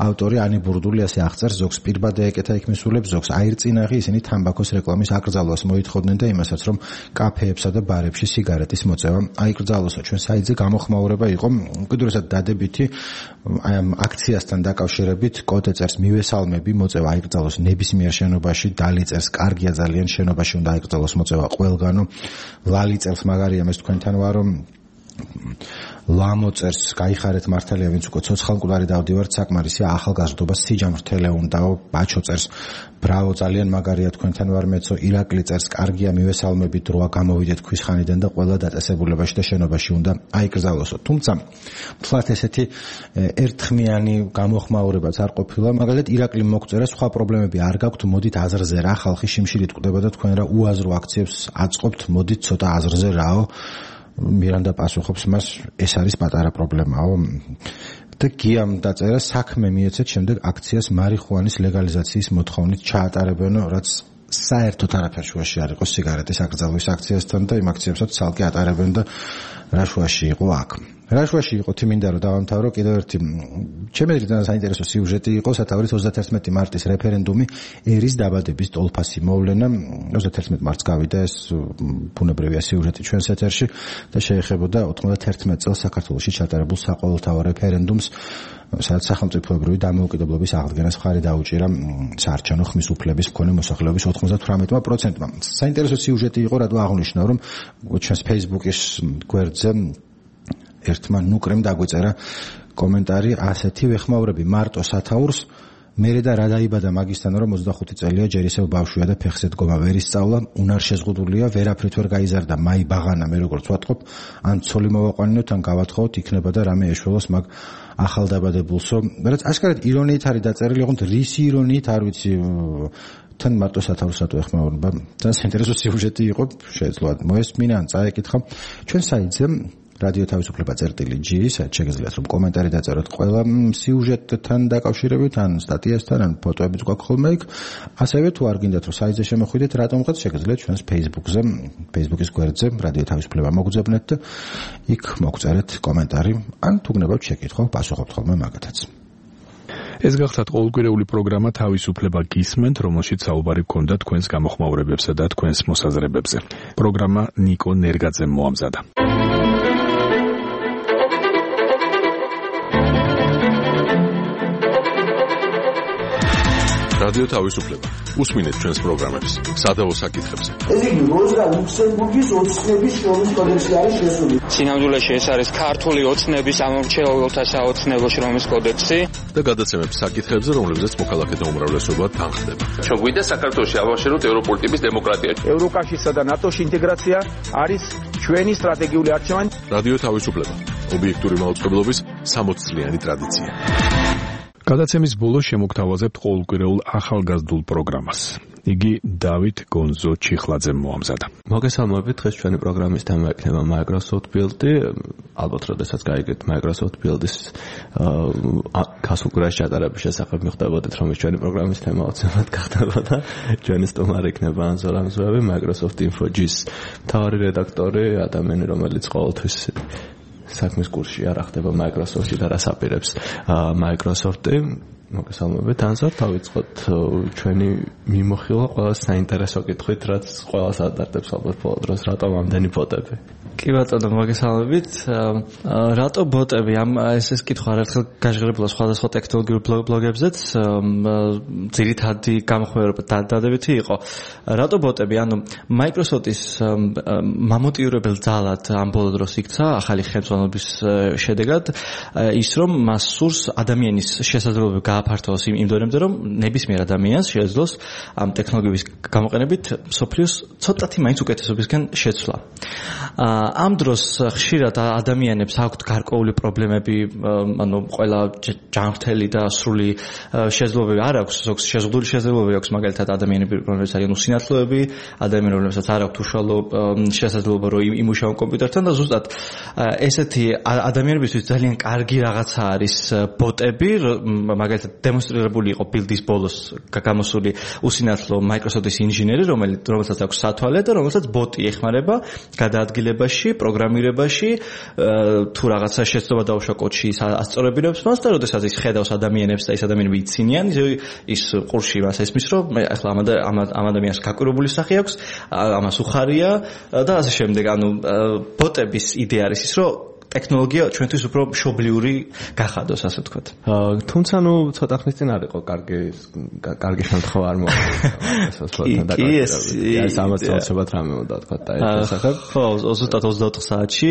ავტორი ანი ბურდული ასე აღწერს, ზოგს პირბად ეკეთა იქ მისულებს, ზოგს აირწინაღი, ისინი თამბაქოს რეკლამის აკრძალვას მოითხოვდნენ და იმასაც, რომ კაფეებსა და ბარებში სიგარეტის მოწევა აიკრძალოსო. ჩვენ საიტზე გამოხმაურება იყო უკიდურესად დადებითი აქციასთან დაკავშირებით, კოდე წერს მივესალმები, მოწევა აიკრძალოს ნებისმიერ შენობაში, დალიწერს კარგია ძალიან შენობაში უნდა აიკრძალოს მოწევა ყველგანო. ლალი წერს მაგარია მე თქვენთან ვარო. ლამოწერს გაიხარეთ მართალია ვინც უკვე ცოცხალმკვდარი დავდივართ საკმარისია ახალგაზრდობა სიჯამრთელე უნდაო. ბაჩო წერს ბრავო ძალიან მაგარია თქვენთან ვარ მეცო. ირაკლი წერს კარგია მივესალმებით დროა გამოვიდეთ ქვისხანიდან და ყველა დაწესებულებაში და შენობაში უნდა აიკრძალოსო. თუმცა თლათ ესეთი ერთხმიანი გამოხმაურებაც არ ყოფილა. მაგალითად ირაკლი მოგწერა სხვა პრობლემები არ გაქვთ, მოდით აზრზე რა, ხალხი შიმშილით კვდება და თქვენ რა უაზრო აქციებს აწყობთ, მოდით ცოტა აზრზე რაო. მირანდა პასუხობს მას, ეს არის პატარა პრობლემაო. და გიამ დაწერა საქმე მიეცეთ შემდეგ აქციას მარიხუანის ლეგალიზაციის მოთხოვნით ჩაატარებენო, რაც საერთოდ არაფერ შუაში არ იყო სიგარეტის აკრძალვის აქციასთან და იმ აქციებსაც ცალკე ატარებენ და რა შუაში იყო აქ. რა შუაში იყო თიმინდა რომ დავამთავრო კიდევ ერთი ჩემი ძალიან საინტერესო სიუჟეტი იყო სათაურის 31 მარტის რეფერენდუმი ერის დაბადების ტოლფასი მოვლენა 31 მარტს გავიდა ეს ბუნებრივია სიუჟეტი ჩვენს ეთერში და შეეხებოდა 91 წელს საქართველოში ჩატარებულ საყოველთაო რეფერენდუმს სადაც სახელმწიფოებრივი დამოუკიდებლობის აღდგენას მხარი დაუჭირა საარჩევნო ხმის უფლების მქონე მოსახლეობის 98%-მა. საინტერესო სიუჟეტი იყო, რადგან აღნიშნა რომ ჩვენს Facebook-ის გვერდზე ერთმა ნუკრემ დაგვიწერა კომენტარი ასეთი ვეხმაურები მარტო სათაურს მერე და რა დაიბადა მაგისთან რომ 25 წელია ჯერ ისევ ბავშვია და ფეხზე დგომა ვერ ისწავლა უნარ შეზღუდულია ვერაფრით ვერ გაიზარდა მაი ბაღანა მე როგორც ვატყობ ან ცოლი მოვაყვანინოთ ან გავათხოვოთ იქნება და რამე ეშველოს მაგ ახალდაბადებულსო რაც აშკარად ირონიით არის დაწერილი ოღონდ რის ირონიით არ ვიცი თან მარტო სათაურს რატო ეხმაურება ძალიან საინტერესო სიუჟეტი იყო შეეძლო მოესმინა ან წაეკითხა ჩვენ საიტზე რადიო თავისუფლება წერტილი.g საით შეგიძლიათ რომ კომენტარი დაწეროთ ყველა სიუჟეტთან დაკავშირებით ან სტატიასთან ან ფოტოებიც გვაქვს ხოლმე იქ ასევე თუ არ გინდათ რომ საიტზე შემოხვიდეთ რატომღაც შეგიძლიათ ჩვენს Facebook-ზე Facebook-ის გვერდზე რადიო თავისუფლება მოგძებნეთ და იქ მოგწერეთ კომენტარი ან თუ გნებავთ შეკითხვა პასუხობთ ხოლმე მაგათაც ეს გახლავთ ყოველკვირეული პროგრამა თავისუფლება გისმენთ, რომელშიც საუბარი გქონდა თქვენს გამოხმაურებებსა და თქვენს მოსაზრებებზე. პროგრამა ნიკო ნერგაძემ მოამზადა. რადიო თავისუფლება. უსმინეთ ჩვენს პროგრამებს სადავო საკითხებზე. ეს იგი როზა ლუქსემბურგის ოცნების შრომის კოდექსი არის შესული. სინამდვილეში ეს არის ქართული ოცნების ამომრჩეველთა საოცნებო შრომის კოდექსი და გადაცემებს საკითხებზე, რომლებზეც მოქალაქეთა უმრავლესობა თანხდება. ჩვენ გვინდა საქართველოში ავაშენოთ ევროპული ტიპის დემოკრატია. ევროკავშირსა და ნატოში ინტეგრაცია არის ჩვენი სტრატეგიული არჩევანი. რადიო თავისუფლება. ობიექტური მაუწყებლობის 60 წლიანი ტრადიცია. გადაცემის ბოლოს შემოგთავაზებთ ყოველკვირეულ ახალგაზრდულ პროგრამას. იგი დავით გონზო ჩიხლაძემ მოამზადა. მოგესალმებით, დღეს ჩვენი პროგრამის თემა იქნება Microsoft Build-ი. ალბათ, როდესაც გაიგეთ Microsoft Build-ის გასუგრაში ჩატარების შესახებ მიხვდებოდეთ, რომ ჩვენი პროგრამის თემა უცებად გახდებოდა. ჩვენი სტუმარი იქნება ანზორ ამზვევი, Microsoft Info-ს მთავარი რედაქტორი, ადამიანი, რომელიც ყოველთვის საქმის კურსში არ ახდება Microsoft-ში და რას აპირებს Microsoft-ი. მოგესალმებით, ანზორ, დავიწყოთ ჩვენი მიმოხილვა ყველა საინტერესო კითხვით, რაც ყველას ადარდებს ალბათ ბოლო დროს, რატომ ამდენი ბოტები? კი ბატონო, მოგესალმებით. რატო ბოტები? ეს კითხვა არაერთხელ გაჟღერებულა სხვადასხვა ტექნოლოგიურ ბლოგებზეც, ძირითადი გამოხმაურება დადებითი იყო. რატო ბოტები? ანუ Microsoft-ის მამოტივირებელ ძალად ამ ბოლო დროს იქცა ახალი ხელმძღვანელობის შედეგად ის, რომ მას სურს ადამიანის შესაძლებლობა გააფართოვოს იმ დონემდე, რომ ნებისმიერ ადამიანს შეეძლოს ამ ტექნოლოგიების გამოყენებით სოფლიოს ცოტათი მაინც უკეთესობისკენ შეცვლა. ამ დროს ხშირად ადამიანებს აქვთ გარკვეული პრობლემები, ანუ ყველა ჯანმრთელი და სრული შესაძლებლობები არ აქვს, ზოგს შეზღუდული შესაძლებლობები აქვს, მაგალითად ადამიანები, რომლებიც არიან უსინათლოები, ადამიანები, რომლებსაც არ აქვთ უშუალო შესაძლებლობა, რომ იმუშაონ კომპიუტერთან და ზუსტად ესეთი ადამიანებისთვის ძალიან კარგი რაღაცა არის ბოტები, მაგალითად დემონსტრირებული იყო Build-ის ბოლოს გამოსული უსინათლო Microsoft-ის ინჟინერი, რომელსაც აქვს სათვალე და რომელსაც ბოტი ეხმარება გადაადგილებაში, პროგრამირებაში, თუ რაღაცა შეცდომა დაუშვა კოდში ასწორებინებს მას და როდესაც ის ხედავს ადამიანებს და ის ადამიანები იცინიან, ის ყურში მას ესმის, რომ ახლა ამ ადამიანს გაკვირვებული სახე აქვს, ამას უხარია და ასე შემდეგ. ანუ ბოტების იდეა არის ის, რომ ტექნოლოგია ჩვენთვის უფრო მშობლიური გახადოს, ასე ვთქვათ. თუმცა ცოტა ხნის წინ არ იყო კარგი შემთხვევა არ მოხდა. კი, ეს ამას წელსებად რამე უნდა თქვა და ეს შესახებ. ხო, ზუსტად 24 საათში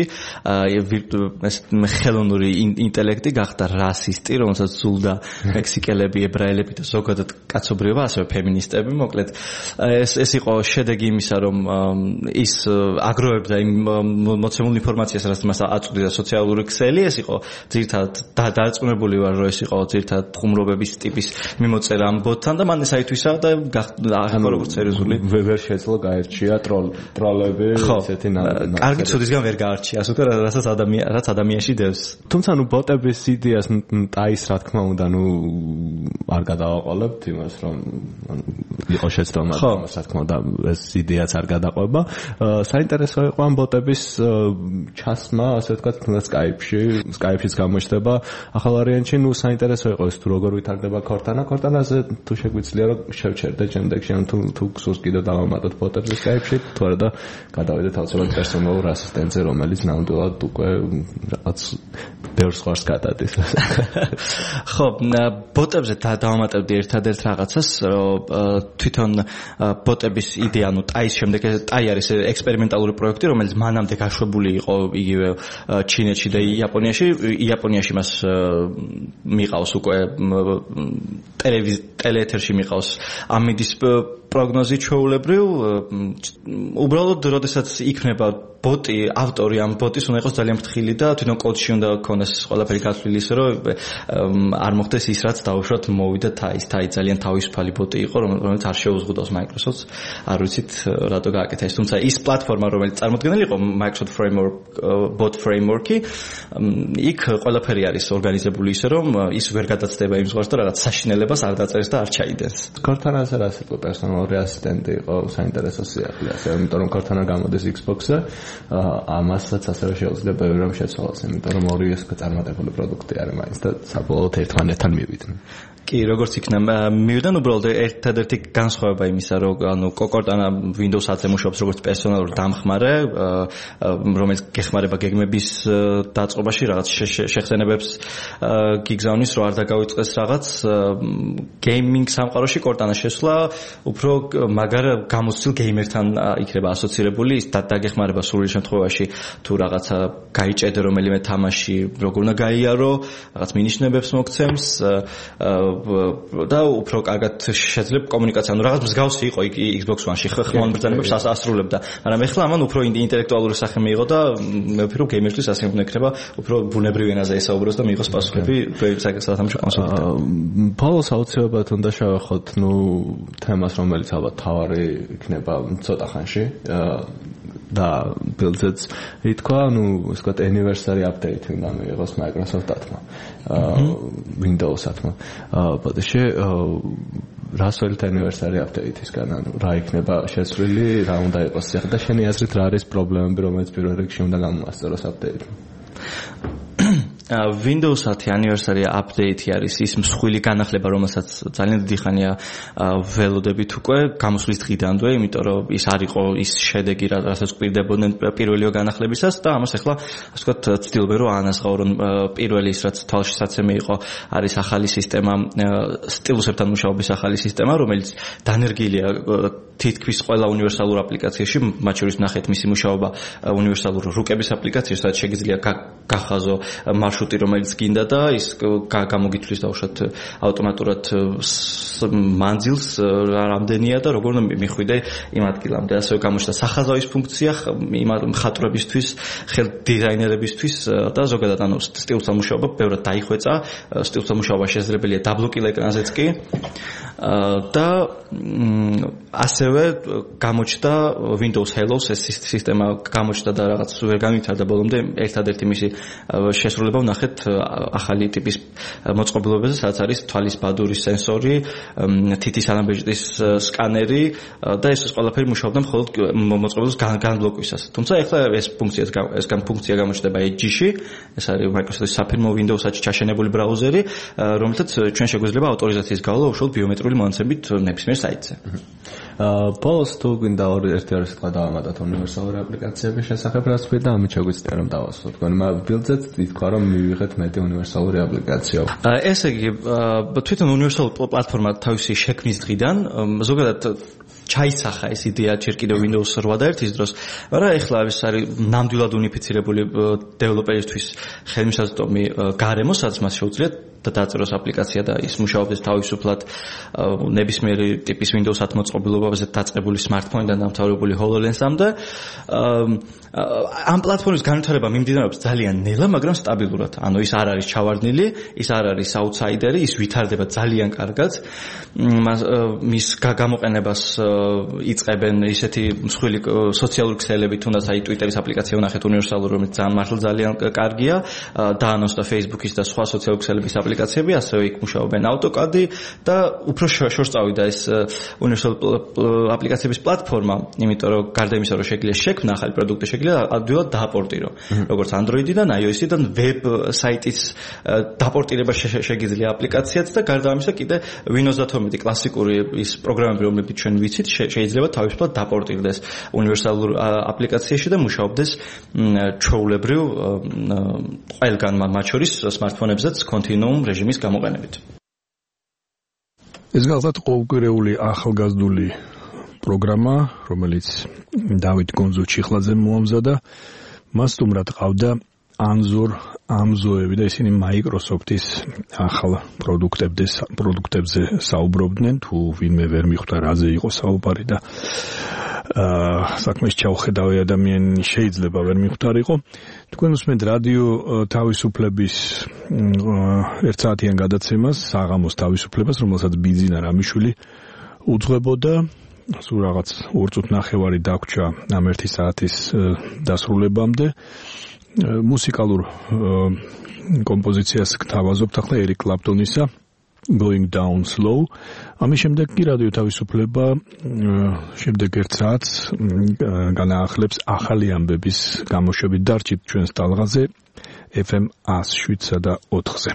ეს ხელოვნური ინტელექტი გახდა რასისტი, რომელსაც ზულდა მექსიკელები, ებრაელები და ზოგადად კაცობრიობა, ასევე ფემინისტები, მოკლედ. ეს იყო შედეგი იმისა, რომ ის აგროვებდა იმ მოცემულ ინფორმაციას, რაც მას აწვდიდა სოციალური ქსელი, ეს იყო ძირითადად დარწმუნებული ვარ, რომ ეს იყო ძირითადად ხუმრობების ტიპის მიმოწერა ამ ბოტთან და მან ეს აითვისა და ახლა როგორც სერიოზული ვერ შეძლო გაერჩია ტროლები ესეთი კარგი ცოდისგან ვერ გაარჩია, ასე ვთქვათ, რაც ადამიანში დევს. თუმცა ბოტების იდეას ტაის რა თქმა უნდა, არ გადავაყოლებთ იმას, რომ იყო შეცდომა, რა თქმა უნდა, ეს იდეაც არ გადაყვება. საინტერესო იყო ამ ბოტების ჩასმა, ასე ვთქვათ, Skype-შიც გამოჩნდება ახალ ვარიანტში, საინტერესო იყო ეს თუ როგორ ვითარდება Cortana-ზე, თუ შეგვიძლია რომ შევჩერდე შემდეგში, ან თუ გსურს კიდევ დავამატოთ ბოტებს Skype-ში, თუ არა და გადავიდეთ აუცილებლად პერსონალურ ასისტენტზე, რომელიც ნამდვილად უკვე რაღაც ბევრ სხვას გადადის. ხო, ბოტებზე დავამატებდი ერთადერთ რაღაცას, რომ თვითონ ბოტების იდეა, ტაის შემდეგ ტაი არის ექსპერიმენტალური პროექტი, რომელიც მანამდე გაშვებული იყო იგივე ჩინეთში და იაპონიაში მას მიყავს უკვე ტელეეთერში მიყავს ამიდის პროგნოზი ჩვეულებრივ. უბრალოდ როდესაც იქნება ბოტი, ავტორი ამ ბოტის უნდა იყოს ძალიან ფრთხილი და თვითონ კოდში უნდა ქონდეს ყველაფერი გათვლილი ისე, რომ არ მოხდეს ის, რაც დაუშვათ მოვიდა ტაის. ტაი ძალიან თავისუფალი ბოტი იყო, რომელიც არ შეუზღუდავს Microsoft-ს. არ ვიცით რატო გააკეთა ეს, თუმცა ის პლატფორმა, რომელიც წარმოქმნილი იყო Microsoft Bot Framework-ი, იქ ყველაფერი არის ორგანიზებული ისე, რომ ის ვერ გადაცდება იმ ზღვარს და რაღაც საშინელებას არ დაწერს და არ ჩაიდენს. Cortana-ზე რა იყო პერსონალური ასისტენტი იყო საინტერესო სიახლე, ასე იმიტომ რომ Cortana გამოდის Xbox-ზე, ამასაც ასევე შეუძლია ბევრი რამ შეცვალოს, იმიტომ რომ ორი ეს წარმატებული პროდუქტი არის მაინც და საბოლოოდ ერთმანეთთან მივიდნენ. კი, როგორც იქნა მივიდან უბრალოდ ერთადერთი განსხვავება იმისა, რომ Cortana Windows 10-ზე მუშაობს როგორც პერსონალური დამხმარე, რომელიც გეხმარება გეგმების დაწყობაში, რაღაც შეხსენებებს გიგზავნის, რომ არ დაგავიწყდეს რაღაც გეიმინგ სამყაროში Cortana შესვლა უფრო მაგარ გამოცდილ გეიმერთან იქნება ასოცირებული, ის დაგეხმარება სრული შემთხვევაში თუ რაღაცა გაიჭედე რომელიმე თამაში, როგორ უნდა გაიარო, რაღაც მინიშნებებს მოგცემს და უფრო კარგად შეძლებ კომუნიკაცია. ანუ რაღაც მსგავსი იყო Xbox One-ში ხმოვან ბრძანებებს ასრულებდა, მაგრამ ეხლა ამან უფრო ინტელექტუალური სახე მიიღო და მე ვფიქრობ გეიმერისთვის ასე უნდა იქნება, უფრო ბუნებრივ ენაზე ესაუბროს და მიიღოს პასუხები სათამაშო კონსოლიდან. ბოლოს აუცილებლად უნდა შევეხოთ თემას, რომელიც ალბათ თავარი იქნება ცოტა ხანში და ბილდზეც ითქვა, ის ვთქვათ anniversary update უნდა მიიღოს Microsoft-მა, Windows-მა. ბოდიში რას ველით anniversary update-ისგან, რა იქნება შეცვლილი, რა უნდა იყოს ახლა და შენი აზრით რა არის პრობლემები, რომელიც პირველ რიგში უნდა გამოვასწოროს update-მა? Windows 10 anniversary update არის ის მსხვილი განახლება, რომელსაც ძალიან დიდი ხანია ველოდებით უკვე გამოსვლის დღიდანვე, იმიტომ რომ ის არ იყო ის შედეგი, რასაც გვირდებოდნენ პირველი განახლებისას და ამას ახლა ასე ვთქვათ ცდილობენ რომ აანაზღაურონ პირველი ის რაც თვალშისაცემი იყო, არის ახალი სისტემა, სტილუსებთან მუშაობის ახალი სისტემა, რომელიც დანერგილია თითქმის ყველა უნივერსალურ აპლიკაციაში, მათ შორის ნახეთ მისი მუშაობა უნივერსალურ რუკების აპლიკაციაში, სადაც შეგიძლია გახაზო მარშრუტი, რომელიც გინდა და ის გამოგითვლის დაუშვათ ავტომატურად მანძილს რამდენია და როგორ უნდა მიხვიდე იმ ადგილამდე. ასევე გამოჩნდა სახაზავის ფუნქცია მხატვრებისთვის, ხელ დიზაინერებისთვის და ზოგადად ანუ სტილუსთან მუშაობა ბევრად დაიხვეწა. სტილუსთან მუშაობა შესაძლებელია დაბლოკილ ეკრანზეც კი და ასევე გამოჩნდა Windows Hello-ს ეს სისტემა გამოჩნდა და რაღაც ვერ განვითარდა ბოლომდე. ერთადერთი მისი შესრულება ვნახეთ ახალი ტიპის მოწყობილობებზე, სადაც არის თვალის ბადურის სენსორი, თითის ანაბეჭდის სკანერი და ეს ყველაფერი მუშაობდა მხოლოდ მოწყობილობის განბლოკვისას. თუმცა ეხლა ეს ფუნქცია გამოჩნდება Edge-ში, ეს არის Microsoft-ის საფირმო Windows-ში ჩაშენებული ბრაუზერი, რომელთაც ჩვენ შეგვიძლია ავტორიზაციის გავლა უშუალოდ ბიომეტრიული მონაცემებით ნებისმიერ საიტზე. ბოლოს თუ გვინდა ერთი სიტყვა დავამატოთ უნივერსალური აპლიკაციების შესახებ, რაც ვთქვი და ამით შეგვიძლია რომ დავასრულოთ. თქვენ ბილდზეც ითქვა რომ მივიღეთ მეტი უნივერსალური აპლიკაცია. ესე იგი თვითონ უნივერსალური პლატფორმა თავისი შექმნის დღიდან ზოგადად ჩაისახა ეს იდეა ჯერ კიდევ Windows 8 და 1-ის დროს, მაგრამ ეხლა ეს არის ნამდვილად უნიფიცირებული დეველოპერისთვის ხელმისაწვდომი გარემო, სადაც მას შეუძლიათ და დაწეროს აპლიკაცია და ის მუშაობს თავისუფლად ნებისმიერი ტიპის Windows 10 მოწყობილობაზე დაწყებული smartphone-დან დამთავრებული HoloLens-ამდე. ამ პლატფორმის განვითარება მიმდინარეობს ძალიან ნელა, მაგრამ სტაბილურად. ანუ ის არ არის ჩავარდნილი, ის არ არის აუთსაიდერი, ის ვითარდება ძალიან კარგად. მის გამოყენებას იწყებენ ისეთი მსხვილი სოციალური ქსელები, თუნდაც აი Twitter-ის აპლიკაცია ვნახეთ უნივერსალური, რომელიც ძალიან კარგია, დაანონსდა Facebook-ის და სხვა სოციალური ქსელების აპლიკაციები, ასევე იქ მუშაობენ AutoCAD და უფრო შორს წავიდა ეს უნივერსალური აპლიკაციების პლატფორმა, იმიტომ რომ გარდა იმისა, რომ შეგვიძლია შექმნა ახალი პროდუქტი, შეგვიძლია ადვილად დააპორტირო, როგორც Android-დან, iOS-დან, ვებ საიტის დაპორტირება შეგიძლია აპლიკაციაც და გარდა ამისა კიდე Windows 10 კლასიკური ის პროგრამები, რომლებიც ჩვენ ვიცით, შეიძლება თავისუფლად დაპორტირდეს უნივერსალურ აპლიკაციაში და მუშაობდეს ჩვეულებრივ ყველგან, მათ შორის smartphone-ებზეც continuum რეჟიმის გამოყენებით. ეს გახლავთ ყოველკვირეული ახალგაზრდული პროგრამა, რომელიც დავით გონძუჩიხლაძე მოამზადა. მას სტუმრად ყავდა ამზოები და ისინი Microsoft-ის ახალ პროდუქტებზე საუბრობდნენ, თუ ვინმე ვერ მიხვდა რაზე იყო საუბარი და საქმეს ჩავხედავი ადამიანი შეიძლება ვერ მიხვდარიყო. თქვენ უსმენთ რადიო თავისუფლების ერთსაათიან გადაცემას, საღამოს თავისუფლებას, რომელსაც ბიძინა რამიშვილი უძღვებოდა. სულ რაღაც 2 წუთი ნახევარი დაგვრჩა ამ 1 საათის დასრულებამდე. მუსიკალურ კომპოზიციას გთავაზობთ ახლა ერიკ კლაპტონისა Going Down Slow. ამის შემდეგ კი რადიო თავისუფლება შემდეგ 1 საათს განაახლებს ახალი ამბების გამოშვებით. დარჩით ჩვენს ტალღაზე FM 107 და 4-ზე.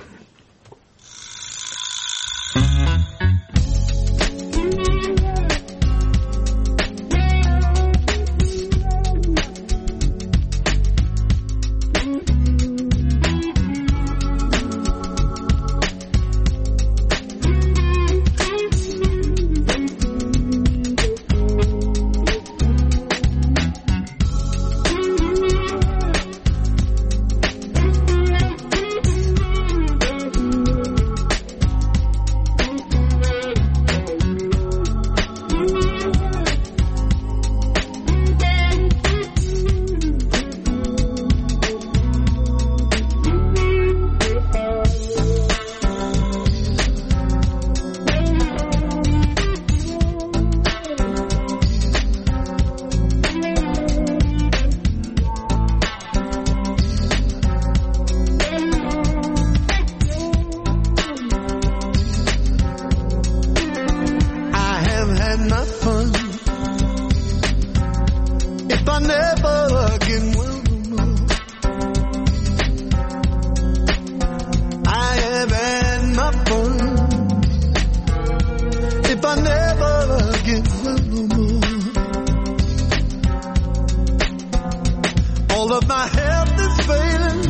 my health is failing.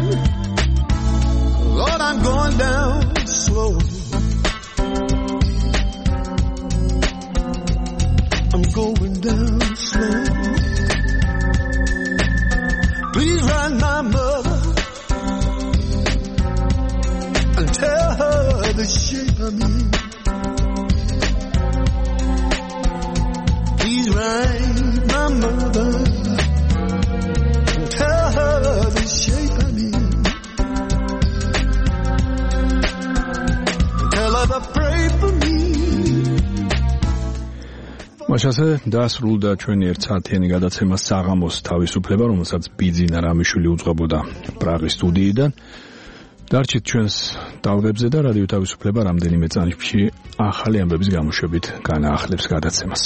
Lord, I'm going down slow. I'm going down slow. Please write my mother and tell her the shape I'm in. Please write my mother and tell her the shape I'm in. Tell her to pray for me. მაშასე დასრულდა ჩვენი ერთ საათიანი გადაცემა საღამოს თავისუფლება, რომელსაც ბიძინა რამიშვილი უძღვებოდა პრაღის სტუდიიდან. დარჩით ჩვენს ტალღებზე და რადიო თავისუფლება რამდენიმე წამში ახალი ამბების გამოშვებით განაახლებს გადაცემას.